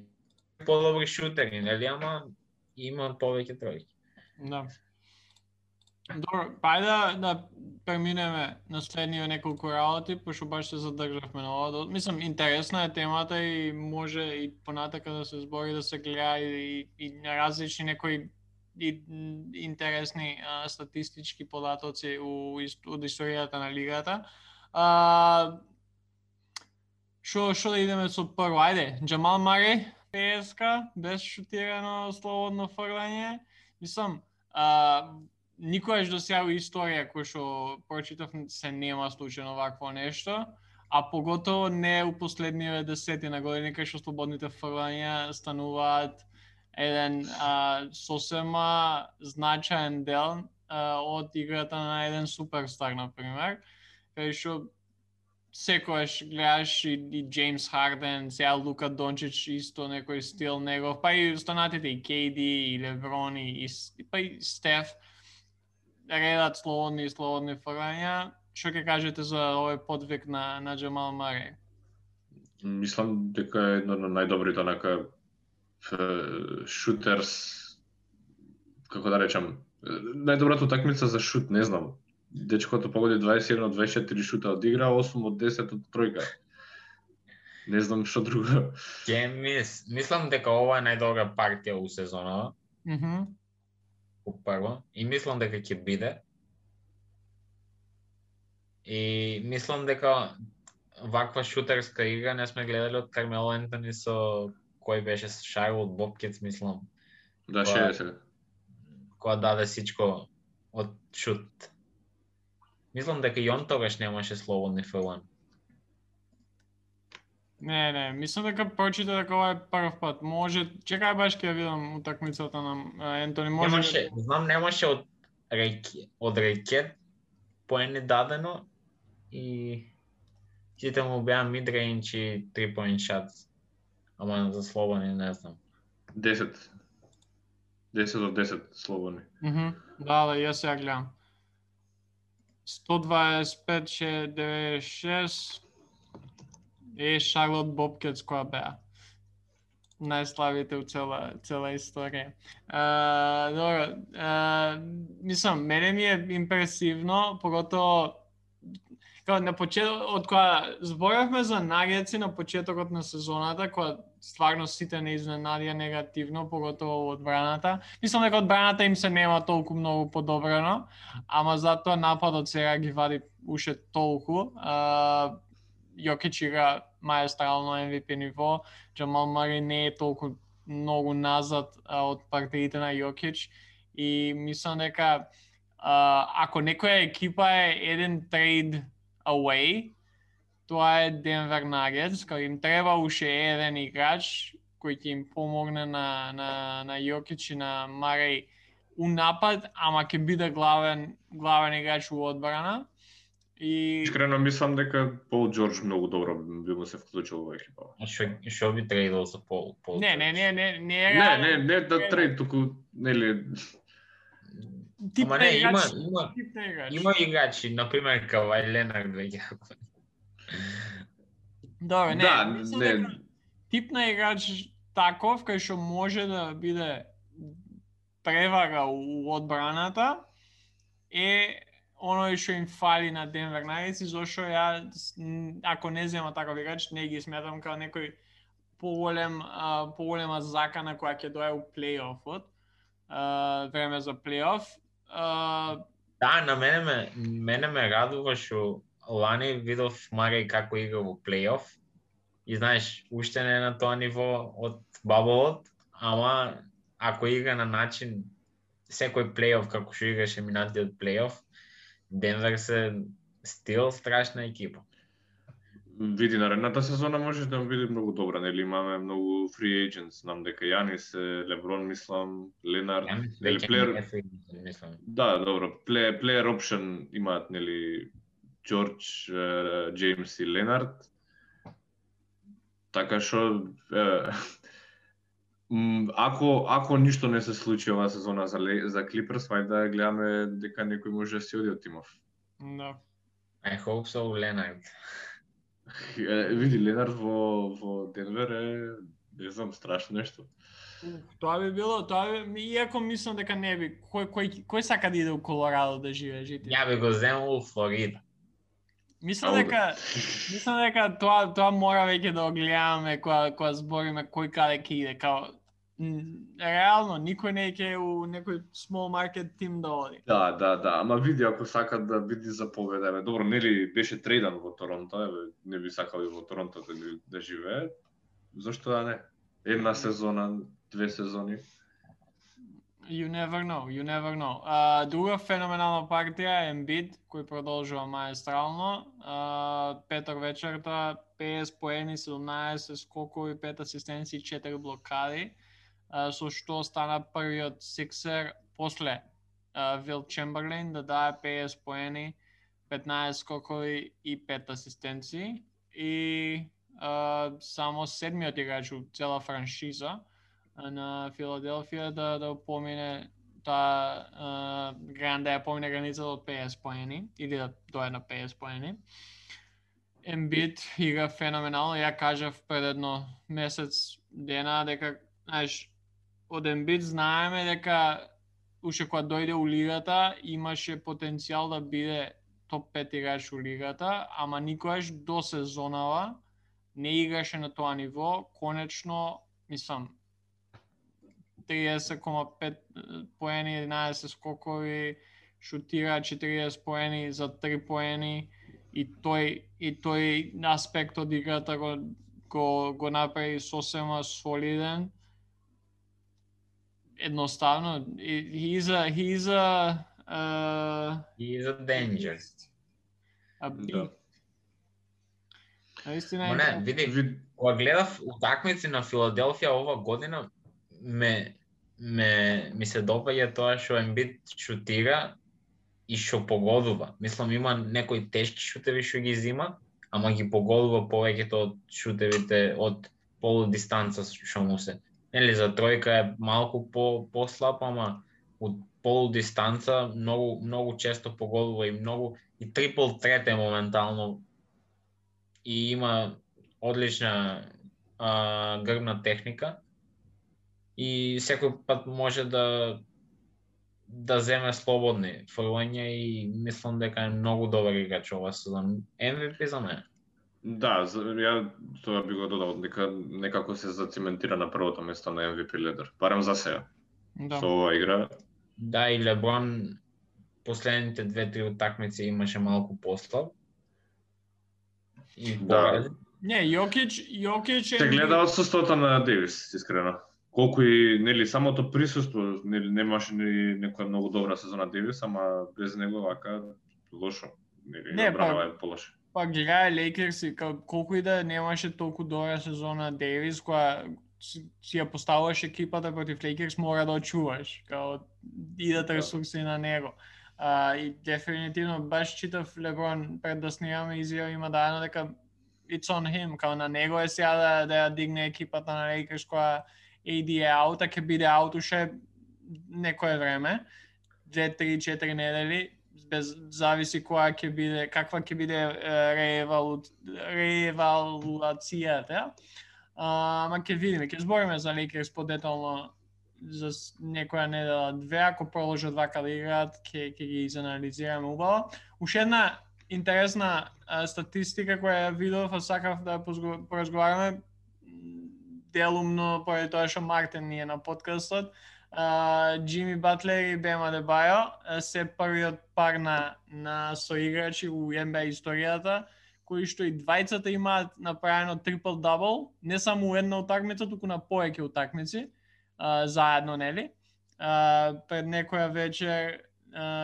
C: Подобри шутери, нели, ама имаат повеќе тројки.
A: Да. Добро, ајде да преминеме на следниве неколку работи, пошто баш се задржавме на ова. Мислам, интересна е темата и може и понатака да се збори, да се гледа и на различни некои интересни статистички податоци од историјата на лигата. Шо да идеме со прво? Ајде, Джамал Мари, ПСК, без шутирано слободно фрлање. Мислам, никогаш до сега во историја кој што прочитав се нема случајно вакво нешто, а поготово не у последниве десетина години кај што слободните фрлања стануваат еден сосема значаен дел од играта на еден суперстар, например, кај што секојаш гледаш и Джеймс Харден, сега Лука Дончич исто некој стил негов, па и останатите и KD, и Леброн, и па и Стеф, редат слободни фрлања. Што ќе кажете за овој подвиг на Джамал Мареј?
B: Мислам дека е едно од најдобрите онака шутерс, како да речам, најдобрата утакмица за шут, не знам. Дечкото погоди 21 од 24 шута од игра, 8 од 10 од тројка. Не знам што друго.
C: Мислам дека ова е најдобра партија у сезонава. Прво. И мислам дека ќе биде. И мислам дека ваква шутерска игра не сме гледали од Кармело Ентони со кој беше Шарлот Бобкетс, мислам.
B: Да, ше е сега.
C: Која даде сичко од шут. Мислам дека и он тогаш немаше слободни фрлања.
A: Не, мислам дека прочита дека ова е прв пат. Може, чекај баш ќе видам утакмицата на Ентони.
C: Немаше, знам немаше од рекет поени дадено и сите му беа mid-range и 3-point shots. Ама за слободни не знам.
B: 10 од 10 слободни.
A: Да, јас ја гледам. 125-96 е Шарлот Бобкетс која беа. Најславите у цела историја. Добро, мислам, мене ми е импресивно, поготово на почеток, од која зборавме за Нагетси на почетокот на сезоната, која стварно сите не изненадија негативно, поготово одбраната. Мислам дека одбраната им се нема толку многу подобрено, ама затоа нападот сега ги вади уште толку. Јокич игра маестрално MVP ниво, Джамал Мареј не е толку многу назад од партиите на Јокич и мислам дека ако некоја екипа е еден трейд away, тоа е Денвер Нагетс, кај им треба уште еден играч кој ќе им помогне на Јокич и на Мареј у напад, ама ќе биде главен играч у одбрана. И
B: искрено мислам дека Пол Џорџ многу добро би му се вклучил во екипа.
C: Што би трейдал за Пол?
B: Не, да трейд, туку нели
A: тип на играч.
C: Има играчи, например Кавај Ленард веќе.
A: Добре, не. Тип на играч таков кај што може да биде превара у одбраната е оној што им фали на Денвер Нагетс, зашто ја, ако не зема таков играч, не ги сметам како некој поголема закана која ќе дое у плейофот, време за плейоф.
C: Да, на мене ме радува што лани видов Мареј како игра во плейоф и знаеш, уште не е на тоа ниво од баблот, ама ако игра на начин секој плейоф како што играше минатиот плейоф, Денвер се стил страшна екипа.
B: Види наредната сезона може да биде многу добра, нели имаме многу free agents, знам дека Јанис, Леброн, мислам, Ленард, нели плеер. Да, добро, плеер опшен имаат нели Џорџ, Џејмс и Ленард. Така што ако ништо не се случи оваа сезона за Клиперс, вајде да гледаме дека некој може да се оди од тимов.
A: Да.
C: I hope so, Ленард.
B: Види, Ленард во Денвер е, не знам, страшно нешто.
A: Тоа би било, иако мислам дека не би, кој сака да иде у Колорадо да живее, жители?
C: Ја би го земал у Флорида.
A: Мислам дека тоа мора веќе да огледаме кога збориме кој каде ќе иде, као реално никој не ќе у некој small market тим да оди.
B: Да, ама види ако сака да биде за победа, добро, нели беше трейдан во Торонто, не би сакал и во Торонто да живее. Зошто да не? Една сезона, 2 сезони.
A: You never know. Друга феноменална партија е Embiid, кој продолжува маестрално. Петок вечерта, 50 поени, 17 скокови, 5 асистенции, 4 блокади, со што стана првиот сиксер после Вил Чемберлейн да даде 50 поени, 15 скокови и 5 асистенции. И само седмиот играч у цела франшиза на Филаделфија да помине да помине границата од 50 поени или да дојде на 50 поени. Ембид игра феноменално. Ја кажав пред едно месец дена дека, знаеш, од Ембид знаеме дека уште кога дојде у лигата имаше потенцијал да биде топ 5 играч у лигата, ама никогаш до сезонава не играше на тоа ниво. Конечно, мислам, 30,5 поени, 11 скокови, шутира 40 поени за 3 поени и тој аспект од играта го направи сосема солиден. Едноставно, he's a
C: danger.
A: Наистина.
C: Не, види, кога гледав утакмици на Филаделфија ова година, ми се допаѓа тоа што Ембид шутира и што погодува. Мислам, има некои тешки шутеви што ги зима, ама ги погодува повеќето од шутевите од полудистанца што му се. Нели, за тројка е малку послаб, ама од полудистанца многу често погодува и трипл трет е моментално и има одлична грбна техника и секој пат може да земе слободни фрлања и мислам дека е многу добар играч ова сезон. MVP за мене.
B: Да, ја тоа би го додал, дека некако се зациментира на првото место на MVP лидер, барем за сега.
A: Да.
B: Со оваа игра.
C: Да, и Леброн последните 2-3 утакмици имаше малку послаб. И
B: да.
A: Не, Јокич
B: Се гледа отсуството на Дейвис, искрено. Колку и нели самото присуство, нели немаше некоја многу добра сезона Дейвис, ама без него вака лошо. Нели одбранава е полошо.
A: Пак гледај Лейкерс и колку и да немаше толку добра сезона Дейвис, која си ја поставуваш екипата против Лейкерс, мора да очуваш, као идат ресурси на него. И дефинитивно баш читав Леброн пред да снимаме изјава има дадено дека it's on him, као на него е сега да ја дигне екипата на Лейкерс која AD е аут, а ќе биде аут уште некое време, 2, 3, 4 недели, без зависи која ќе биде, каква ќе биде реевалуацијата. Ама ќе видиме, ќе збориме за Лейкерс подетално за некоја недела две, ако продолжат вака да играат, ќе ги изанализираме убаво. Уште една интересна статистика која ја видов, а сакав да поразговараме делумно поради тоа што Мартин ни е на подкастот. Джими Батлер и Бем Адебајо се првиот пар на соиграчи у NBA историјата, кои што и двајцата имаат направено трипл-дабл, не само у една утакмица, туку на повеќе утакмици, заедно, нели? Пред некоја вечер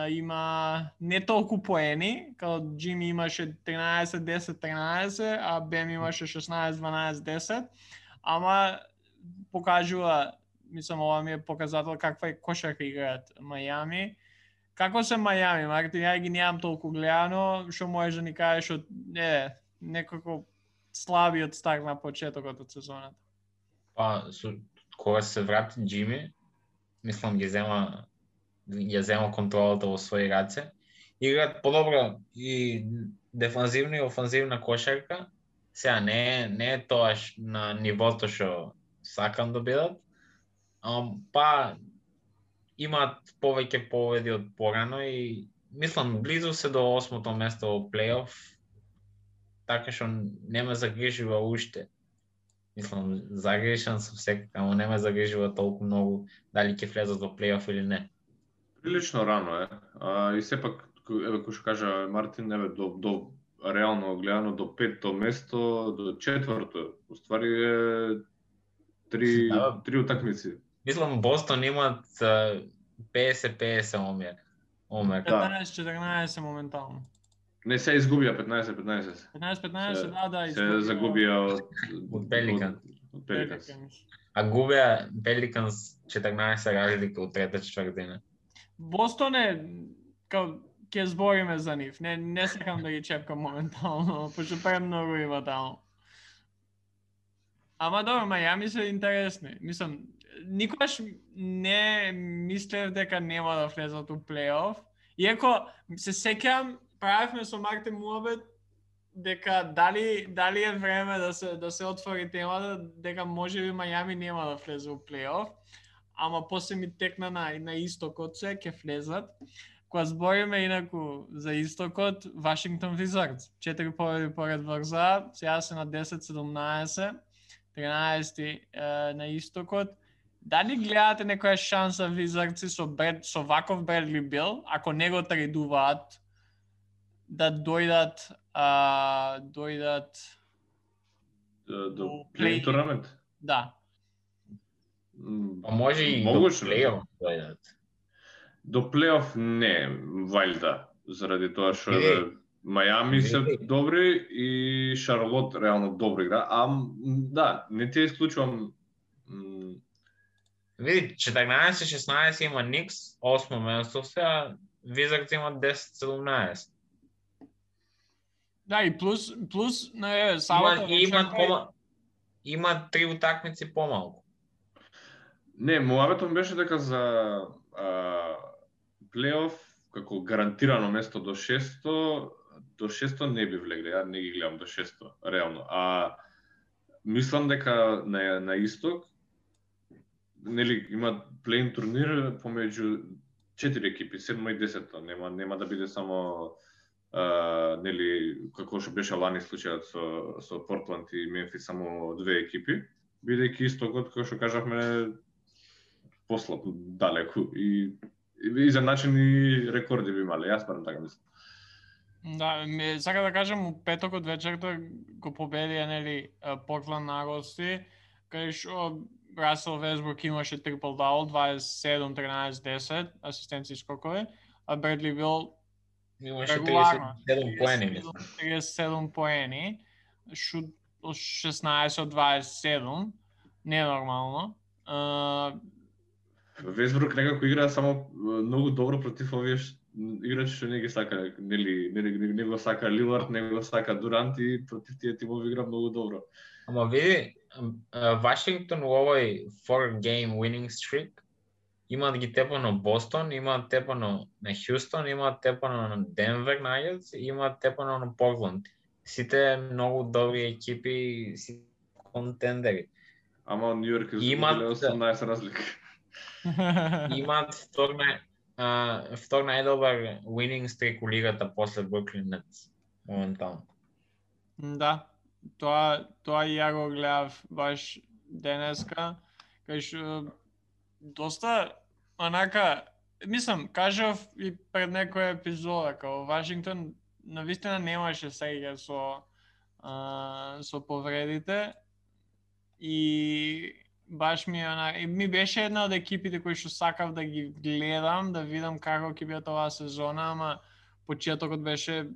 A: има не толку поени, као Джими имаше 13-10-13, а Бем имаше 16-12-10, ама покажува, мислам, ова ми е показател каква е кошарка играат Мајами. Како се Мајами, Мартин? Ја ги немам толку гледано, што можеш да ни кажеш од некако слабиот старт на почетокот од сезоната?
C: Па, кога се врати Джими, мислам ја зема контролата во своји раце. Играат подобро и дефанзивна и офанзивна кошарка. Сега не е тоа на нивото што сакам да бидат, па имаат повеќе победи од порано и мислам близу се до 8-то место во плейоф, така што не ме загрижува уште. Мислам, загрижен сум секако, ама не ме загрижува толку многу дали ќе влезат во плейоф или не.
B: Прилично рано е. И сепак, еве кој што кажа Мартин, еве до реално гледано до 5-то место, до 4-то, уствари е 3 утакмици.
C: Мислам Бостон имат 50-50 омер.
A: 15-14 моментално.
B: Не се изгубија 15-15.
A: 15-15, да,
B: Се загубија
C: од Пеликанс.
B: Од Пеликанс.
C: А губеа Пеликанс 14 разлика од трета четвртина.
A: Бостон ќе збориме за нив. Не сакам да ги чепкам моментално, пошто премногу има таму. Ама добро, Мајами се интересни. Мислам, никогаш не мислев дека нема да влезат у плей-оф. Иако се сеќавам, правевме со Мартин муабет дека дали е време да се отвори темата дека можеби Мајами нема да влезе у плей-оф, ама после ми текна на истокот се ќе влезат. Кога збориме инаку за истокот, Вашингтон Визардс 4 победи поред врза, сега се на 10-17, 13 на истокот. Дали гледате некоја шанса Визардси со ваков Бредли Бил, ако не го тредуваат, да дојдат
B: до плей-ин турнамент?
A: Да.
C: Може и до плей-оф дојдат.
B: До плей-оф не, вајлда, заради тоа што Мајами се добри и Шарлот реално добро игра, да, не ти исклучувам.
C: Види, 14-16 има Никс, 8 место се, а Визардс има 10-17.
A: Да, и плюс сабата
C: има 3 утакмици помалку.
B: Не, муабетот беше дека за плей-оф како гарантирано место до 600 не би влегли, ја не ги гледам до 600, реално. А мислам дека на исток нели има плей-ин турнир помеѓу 4 екипи, 7 и 10, нема да биде само нели како што беше лани случајот со Портланд и Мемфис само 2 екипи, бидејќи истокот како што кажавме послаб далеку и за начин и рекорди би имале, јас барам така мислам.
A: Да, сака да кажам, у петокот вечерта го победија нели Портланд на гости, кај што Расел Весбрук имаше трипл-дабл, 27-13-10 асистенции скокови, а Бредли Бил
C: имаше 37 поени,
A: 37 поени, шут 16 од 27, ненормално.
B: Весбрук некако игра само многу добро против овие играчи што не ги сака, не го сака Лилард, не го сака Дурант и против тие тимови игра многу добро.
C: Ама види, Вашингтон во овој 4-game winning streak имаат ги тепано Бостон, имаат тепано на Хјустон, имаат тепано на Денвер Нагетс, имаат тепано на Портланд. Сите многу добри екипи, сите контендери.
B: Ама Нью Йорк изгубиле 18 разлика.
C: Имаат втор најдобар winning streak у лигата после Бруклин Нетс моментално.
A: Да, тоа и ја го гледав баш денеска, кај што доста онака, мислам, кажав и пред некоја епизода, као Вашингтон навистина немаше среќа со повредите и баш ми беше една од екипите кои што сакав да ги гледам, да видам како ќе биде оваа сезона, ама почетокот беше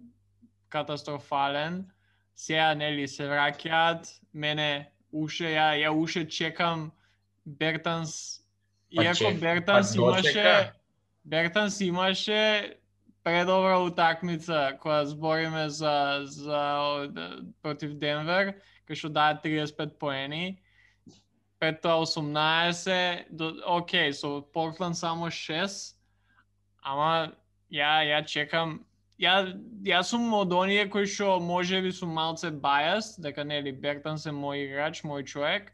A: катастрофален. Сега нели се враќаат, мене ја уште чекам Бертанс, иако Бертанс имаше предобра утакмица која збориме за против Денвер, кај што даде 35 поени. Пред тоа 18, окей, со Портланд само 6, ама ја чекам, ја сум од оние кои што можеби сум малце biased, дека нели Бертанс е мој играч, мој човек,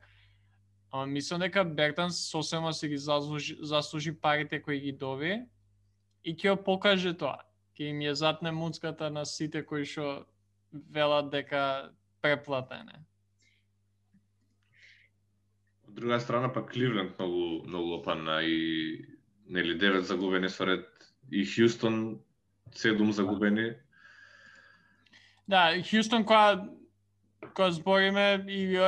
A: ама мислам дека Бертанс сосема си ги заслужи парите кои ги доби и ќе ја покаже тоа. Ќе им ја затне муцката на сите кои што велат дека преплатене.
B: Од друга страна па Кливленд многу опана и нели 9 загубени соред и Хјустон 7 загубени.
A: Да, Хјустон кога збориме и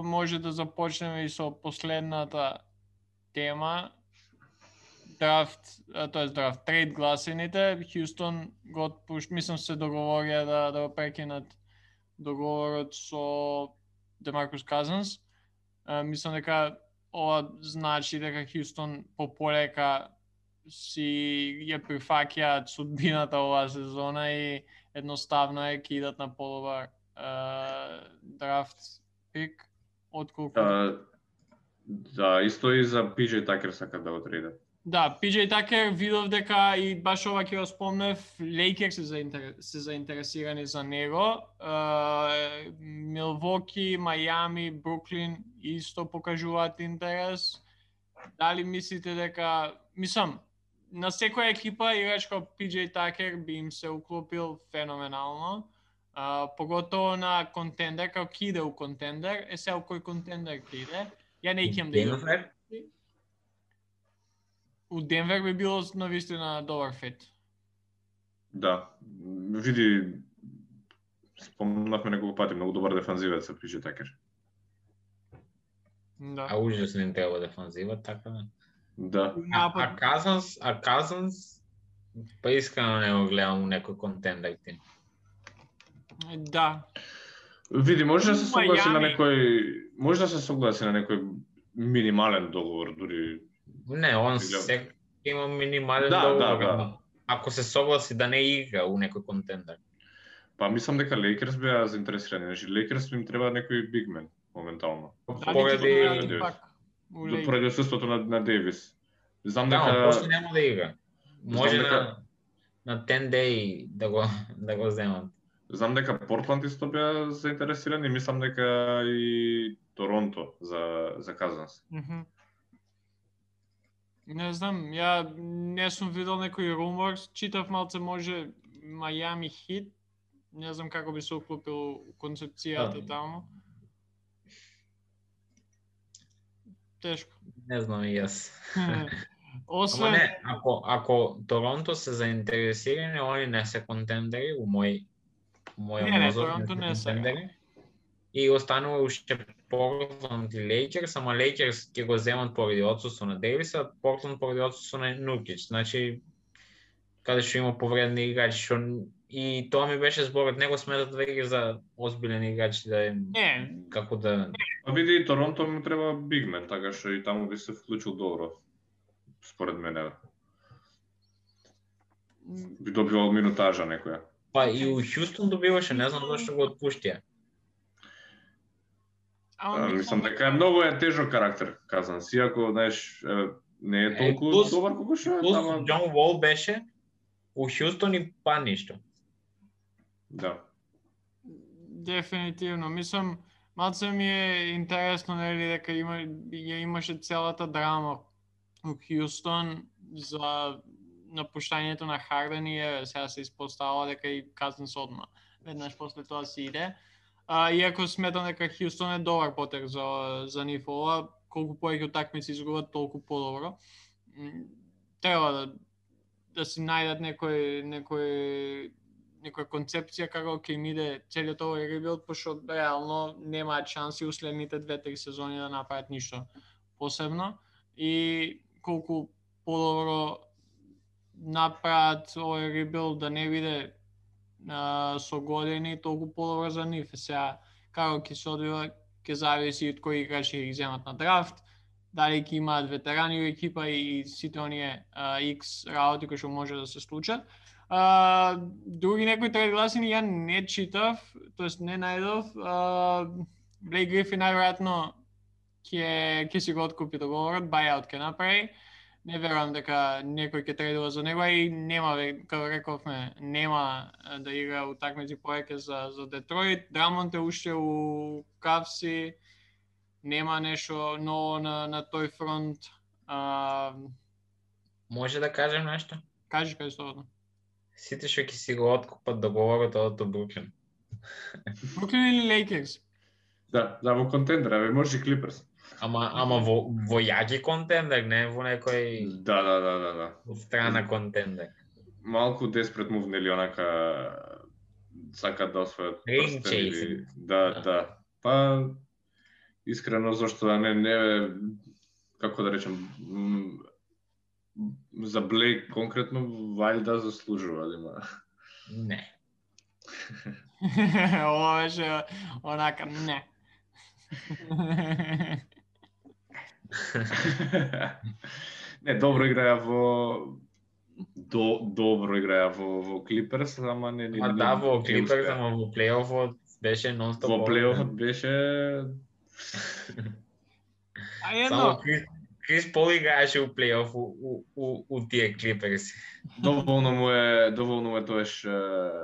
A: може да започнеме и со последната тема драфт, трейд гласините, Хјустон го отпушт, мислам се договорија да го прекинат договорот со Демаркус Казанс. Мислам дека ова значи дека Хјустон полека си ја прифаќаат судбината оваа сезона и едноставно е ќе идат на подобар драфт пик отколку
B: Да, исто и за PJ Такер сакат да го трейдат.
A: Да, PJ Такер видов дека и баш ова ќе го спомнев, Лейкерс се заинтересирани за него. Милвоки, Мајами, Бруклин исто покажуваат интерес. Дали мислите дека, мислам, на секоја екипа играч како PJ Такер би им се уклопил феноменално. Поготово на контендер, како ќе иде у контендер, сега у кој контендер ќе иде. Ја не икем да
C: Денвер?
A: У Денвер би било навистина добар фит.
B: Да, види, спомнавме неколку пати, многу добар дефанзивец се PJ Такер.
A: Да.
C: А ужасно им треба дефанзива, така да.
B: Да.
C: А Казанс, па искрено не го гледам у некој контендер тим.
A: Да.
B: Види, може да се согласи на
A: Мајами.
B: некој минимален договор, дури.
C: Не, он се има минимален договор.
B: Да.
C: Ако се согласи да не игра у некој контендер.
B: Па мислам дека Лейкерс беа заинтересирани. Значи Лейкерс им треба некој бигмен моментално. Поради отсуството на Дейвис. Знам дека
C: после нема да игра. Може на 10 day да го земат.
B: Знам дека Портланд исто беа заинтересирани, мислам дека и Торонто за Казанс.
A: Не знам, ја не сум видел некој румор, читав малце може Мајами Хит, не знам како би се уклопил концепцијата таму. Тешко.
C: Не знам и јас.
A: Освен
C: не, ако Торонто се заинтересирани, они не се контендери у мој
A: мозок. Торонто не се.
C: И останува уште Портланд и Лейкерс, ама Лейкерс ќе го земат поради отсуство на Дейвис, а Портланд поради отсуство на Нуркич. Значи, каде што има повредни играчи, што и тоа ми беше зборот, него сметат веќе за озбилен играч да е како да.
B: А види, Торонто му треба бигмен, така што и таму би се вклучил добро. Според мене. Би добивал минутажа некоја.
C: Па и у Хјустон добиваше, не знам зашто го отпуштија.
B: Мислам дека е многу тежок карактер, казан. Иако, знаеш, не е толку добар колку што е.
C: Џон Вол беше у Хјустон и па ништо.
B: Да.
A: Дефинитивно. Мислам, малце ми е интересно, нели, дека имаше целата драма у Хјустон за напуштањето на Харден и сега се испоставува дека и Казанс одма. Веднаш после тоа си иде. Иако сметам дека Хјустон е добар потек за нив ова, колку повеќе утакмици изгубат, толку подобро. Треба да си најдат некоја концепција како ќе им иде целиот овој ребилд, пошто реално немаат шанси уследните 2-3 сезони да направат ништо посебно и колку подобро направат овој ребилд да не биде со години, толку подобро за нив. Сега, како ќе се одвива, ќе зависи од кои играчи ќе ги земат на драфт, дали ќе имаат ветерани во екипа и сите оние X работи кои што може да се случат. Други некои трейд гласини ја не читав, тоест не најдов. Блейк Грифин најверојатно ќе си го откупи договорот, buyout ќе направи. Не верувам дека некој ќе трейдува за него и нема, како рековме, нема да игра утакмици повеќе за Детройт. Драмонт е уште у Кавси, нема нешто ново на тој фронт.
C: Може да кажем нешто?
A: Кажи слободно.
C: Сите што ќе си го откупат договорот од Бруклин.
A: Бруклин или Лейкерс?
B: Да, во контендер, може и Клиперс.
C: Ама во јаки контендер, не во некој
B: Да.
C: страна контендер.
B: Малку деспрет мув, нели, онака сакат да освојат
C: прстен.
B: Да. Па искрено зашто да не како да речем, за Блейк конкретно вајда заслужува, има.
C: Не.
A: Ова беше онака, не.
B: Не, добро играја во Клиперс, ама не
C: Ма да, во Клиперс, ама во плейофот беше нон-стоп.
B: Во плейофот беше
C: Само Крис Пол играеше у плейоф у тие Клиперси.
B: доволно му е тоаш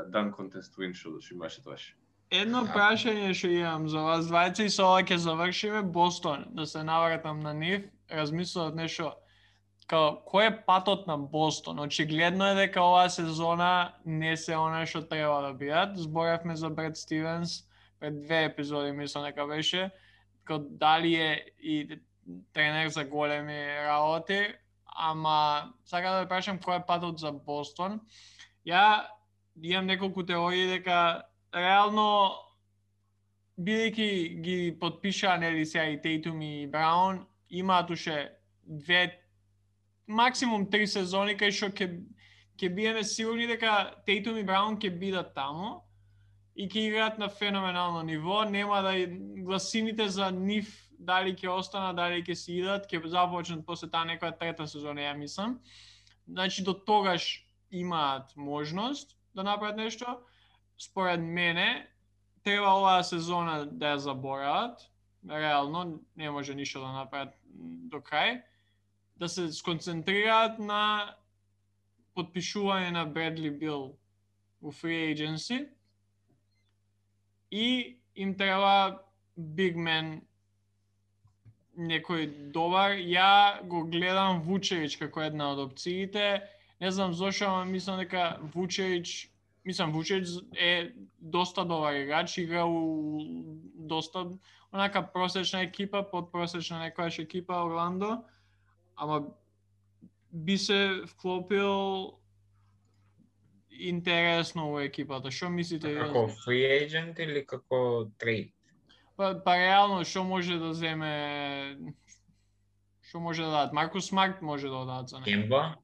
B: дан контест win што имаше тоаш.
A: Едно прашање што имам за вас двајца и со ова ќе завршиме. Бостон, да се навратам на нив, размислував нешто. Кој е патот на Бостон? Очигледно е дека оваа сезона не се она што треба да бидат. Зборевме за Бред Стивенс пред 2 епизоди, мислам дека беше. Дали е и тренер за големи работи, ама сакам да прашам кој е патот за Бостон. Ја имам неколку теории дека реално бидејќи ги потпишаа нели сега и Тейтум и Браун, имаат уште 2 максимум 3 сезони кај што ќе биеме сигурни дека Тейтум и Браун ќе бидат таму и ќе играат на феноменално ниво. Нема да гласините за нив дали ќе останат, дали ќе си идат, ќе започнат после таа некоја трета сезона, ја мислам. Значи до тогаш имаат можност да направат нешто. Според мене треба оваа сезона да ја заборават. Реално не може ништо да направат до крај. Да се сконцентрираат на потпишување на Бредли Бил у free agency и им треба big man некој добар. Ја го гледам Вучевич како една од опциите. Не знам зошто, ама мислам дека Вучевич е доста добар играч, игра у доста онака просечна екипа, подпросечна некојаш екипа Орландо, ама би се вклопил интересно во екипата. Што мислите?
C: Како free agent или како трейд?
A: Па реално што може да земе, што може да дадат? Маркус Смарт може да дадат за него.
C: Кемба?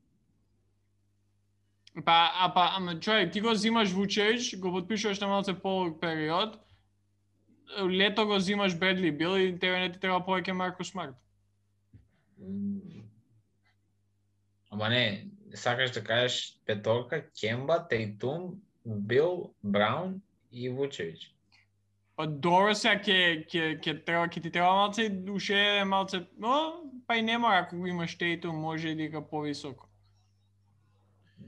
A: Ама човек, ти го зимаш Вучевич, го потпишуваш на малце полог период, лето го зимаш Бредли Бил и тебе не ти треба повеќе Маркус Смарт.
C: Ама не, сакаш да кажеш петорка, Кемба, Тейтум, Бил, Браун и Вучевич.
A: Па добро сега ќе ти треба малце уште малце, но па и не мора ако го имаш Тейтум, може и да игра повисоко.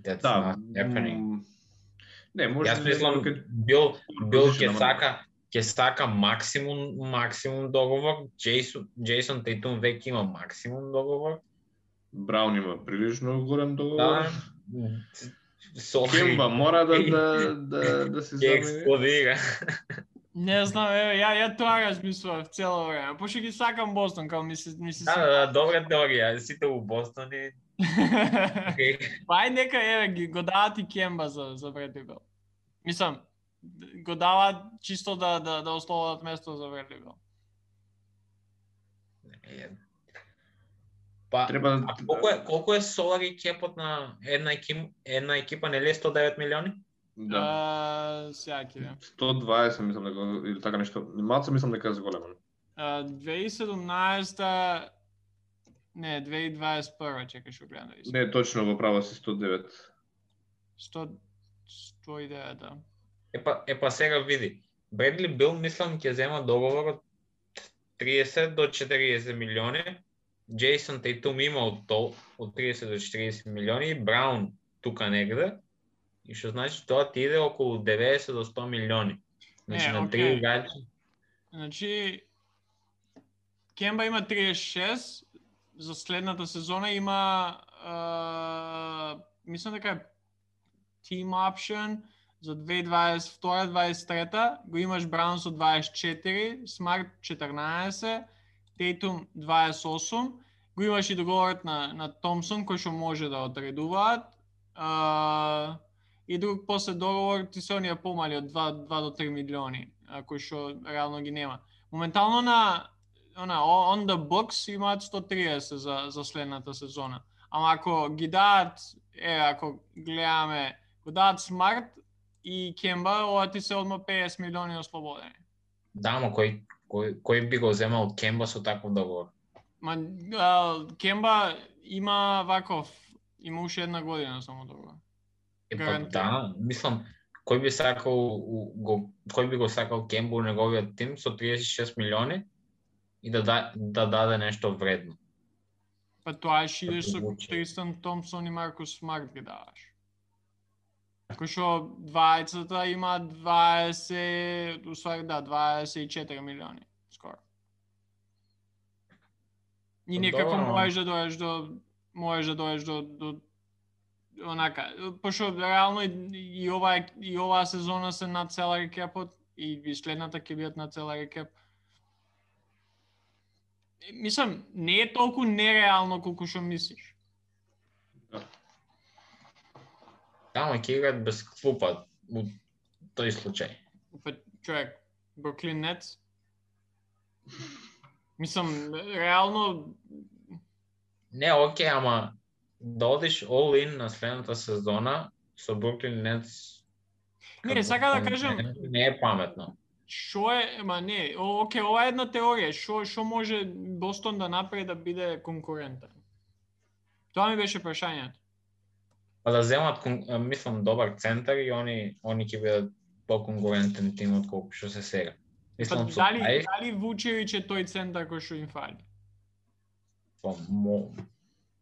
C: That's
B: Да,
C: not happening.
B: Не, може
C: Јас мислам Бил ќе сака максимум договор. Джейсон Тейтум веќе има максимум договор.
B: Браун има прилично голем договор.
C: Да.
B: Кемба мора да се замени.
C: Експлодира.
A: Не знам, ја тоа размислував цело време. Пошто ги сакам Бостон, као ми се
C: Да, добра теорија. Сите у Бостон и
A: Па нека ги го дават и Кемба за Бредли Бил. Мислам, го дават чисто да ослободат место за Бредли Бил.
C: Па, колку е солари кепот на една екипа, нели е 109 милиони?
B: Да.
A: Сега ќе видам.
B: 120 мислам дека или така нешто. Малце мислам дека е зголемо.
A: 2017 не, 2021, чекаш го гледам да видам.
B: Не, точно во право си 109.
A: 109, да.
C: Епа сега види. Бредли Бил мислам ќе зема договор од 30 до 40 милиони. Джейсон Тейтум има од 30 до 40 милиони, Браун тука негде. И што значи тоа ти иде околу 90 до 100 милиони. Значи на 3 играчи.
A: Значи Кемба има 36, за следната сезона има мислам дека е team option за 2022-2023, го имаш Браун со 24, Смарт 14, Тейтум 28, го имаш и договорот на Томсон кој што може да одредуваат. И друг после договор ти се оние помали од 2 до 3 милиони, кои што реално ги нема. Моментално на on the books имаат 130 за следната сезона. Ама ако ги дадат, ако гледаме, го дадат Смарт и Кемба, ова ти се одма 50 милиони ослободени.
C: Да, ама кој би го земал Кемба со таков договор?
A: Кемба има има уште една година само договор.
C: Да, мислам, кој би го сакал Кемба у неговиот тим со 36 милиони и да даде нешто вредно.
A: Па тоа ќе идеш со Тристан Томпсон и Маркус Смарт ги даваш. Кој што двајцата има 24 милиони скоро. И некако можеш да доеш до онака, пошто реално и оваа сезона се над salary cap-от и следната ќе бидат над salary cap. Мислам, не е толку нереално колку што мислиш.
C: Тамо ќе играат без клупа у тој случај.
A: Па човек, Бруклин Нетс. Мислам, реално
C: Не, окей, ама да одиш all in на следната сезона со Бруклин Нетс.
A: Не, сака да кажам,
C: не е паметно.
A: Шо е, окей, ова е една теорија, шо може Бостон да направи да биде конкурентен? Тоа ми беше прашањето.
C: Па да земат, мислам, добар центар и они ќе бидат по-конкурентен тим отколку што се сега. Мислам,
A: дали Вучевич е тој центар кој што им фали?
C: Па,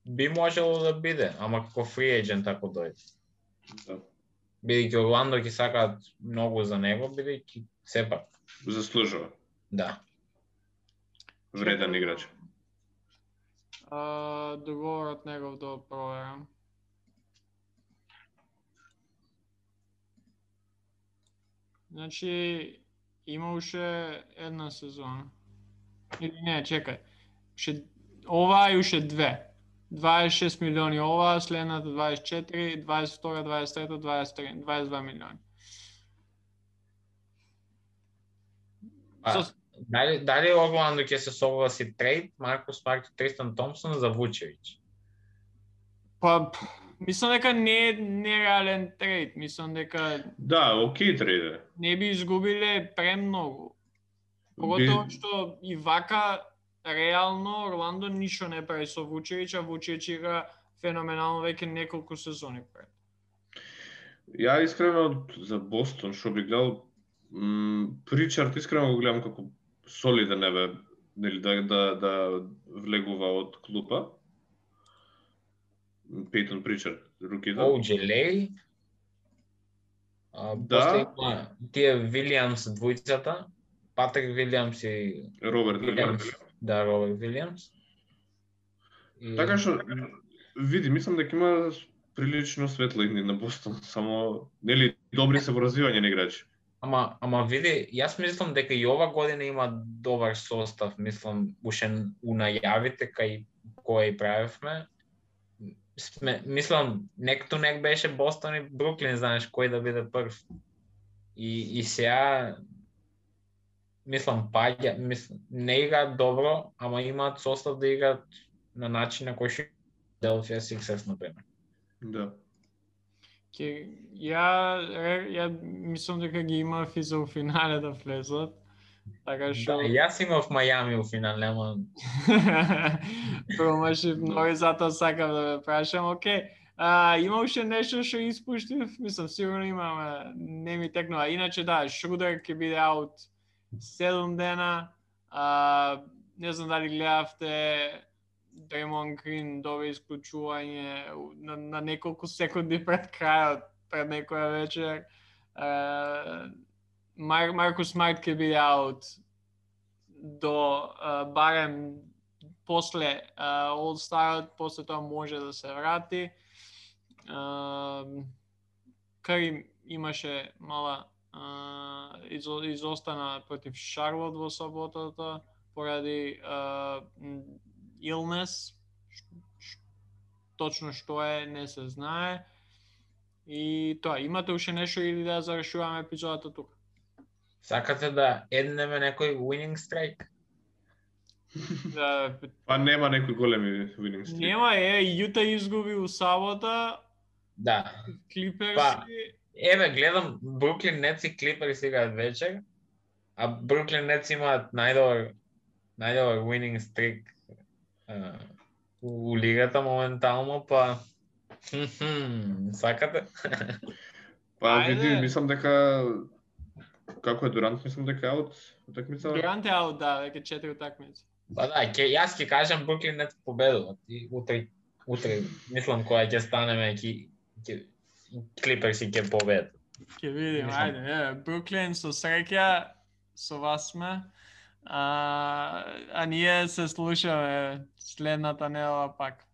C: би можело да биде, ама како фри ејджент ако дојде.
B: Да.
C: Бидејќи Орландо ќе сакаат многу за него, бидејќи сепак
B: заслужува.
C: Да.
B: Вреден играч.
A: Договорот негов да проверам. Значи има уште една сезона. Или не, чекај. Ова е уште две. 26 милиони ова, следната 24, 22, 23, 23, 22 милиони.
C: Дали Орландо ќе се согласи трейд Маркус Смарт и Тристан Томпсон за Вучевич?
A: Па, мислам дека не е нереален трейд, мислам дека
B: Да, окей трейд е.
A: Не би изгубиле премногу. Поготово што и вака реално Орландо ништо не прави со Вучевич, а Вучевич игра феноменално веќе неколку сезони пред.
B: Ја искрено за Бостон што би гледал Причард искрено го гледам како солиден небе, нели да влегува од клупа. Пейтон Причард, рукита.
C: О'Джелей. После тие Вилијамс двојцата, Патрик Вилијамс и
B: Роберт Вилијамс.
C: Да, Роберт Вилијамс.
B: Така што види, мислам дека има прилично светло идни на Бостон, само нели добри се во развивање на играчи.
C: Ама види, јас мислам дека и ова година има добар состав, мислам уште у најавите кај кој правевме. Мислам, нек беше Бостон и Бруклин, знаеш, кој да биде прв. И сега, мислам, не играат добро, ама имаат состав да играат на начин на кој што Philadelphia Sixers, например.
B: Да.
A: Ја мислам дека ги имав и за финале да влезат. Така што...
C: Да, јас имав Мајами у финал, нема...
A: Промашив многу, затоа сакам да ме прашам, окей. Има уште нешто што испуштив? Мислам, сигурно имам, не ми текнува. Иначе да, Шрудер ќе биде аут 7 дена. Не знам дали гледавте, Дреймонд Грин доби исклучување на неколку секунди пред крајот, пред некоја вечер. Маркус Смарт ќе биде аут до барем после All-Starот, после тоа може да се врати. Кари имаше мала изостана против Шарлот во саботата поради illness. Точно што е, не се знае. И тоа, имате уште нешто или да завршуваме епизодата тука?
C: Сакате да еднеме некој winning strike?
A: Да,
B: Па нема некои големи winning streak.
A: нема Јута изгуби у сабота,
C: Да.
A: Клиперси.
C: Па, еве гледам Бруклин Нетс и Клиперс играат вечер, а Бруклин Нетс имаат најдобар winning streak у лигата моментално, па сакате?
B: Па
A: Ајде.
B: види, мислам дека како е Дурант, мислам дека е аут утакмица.
A: Дурант е аут, да, веќе 4 утакмици.
C: Па да, јас ќе кажам Бруклин Нетс победуваат и утре мислам кога ќе станеме Клиперси ќе победат.
A: Ќе видим, ајде, Бруклин со среќа со вас сме. А ние се слушаме следната недела пак.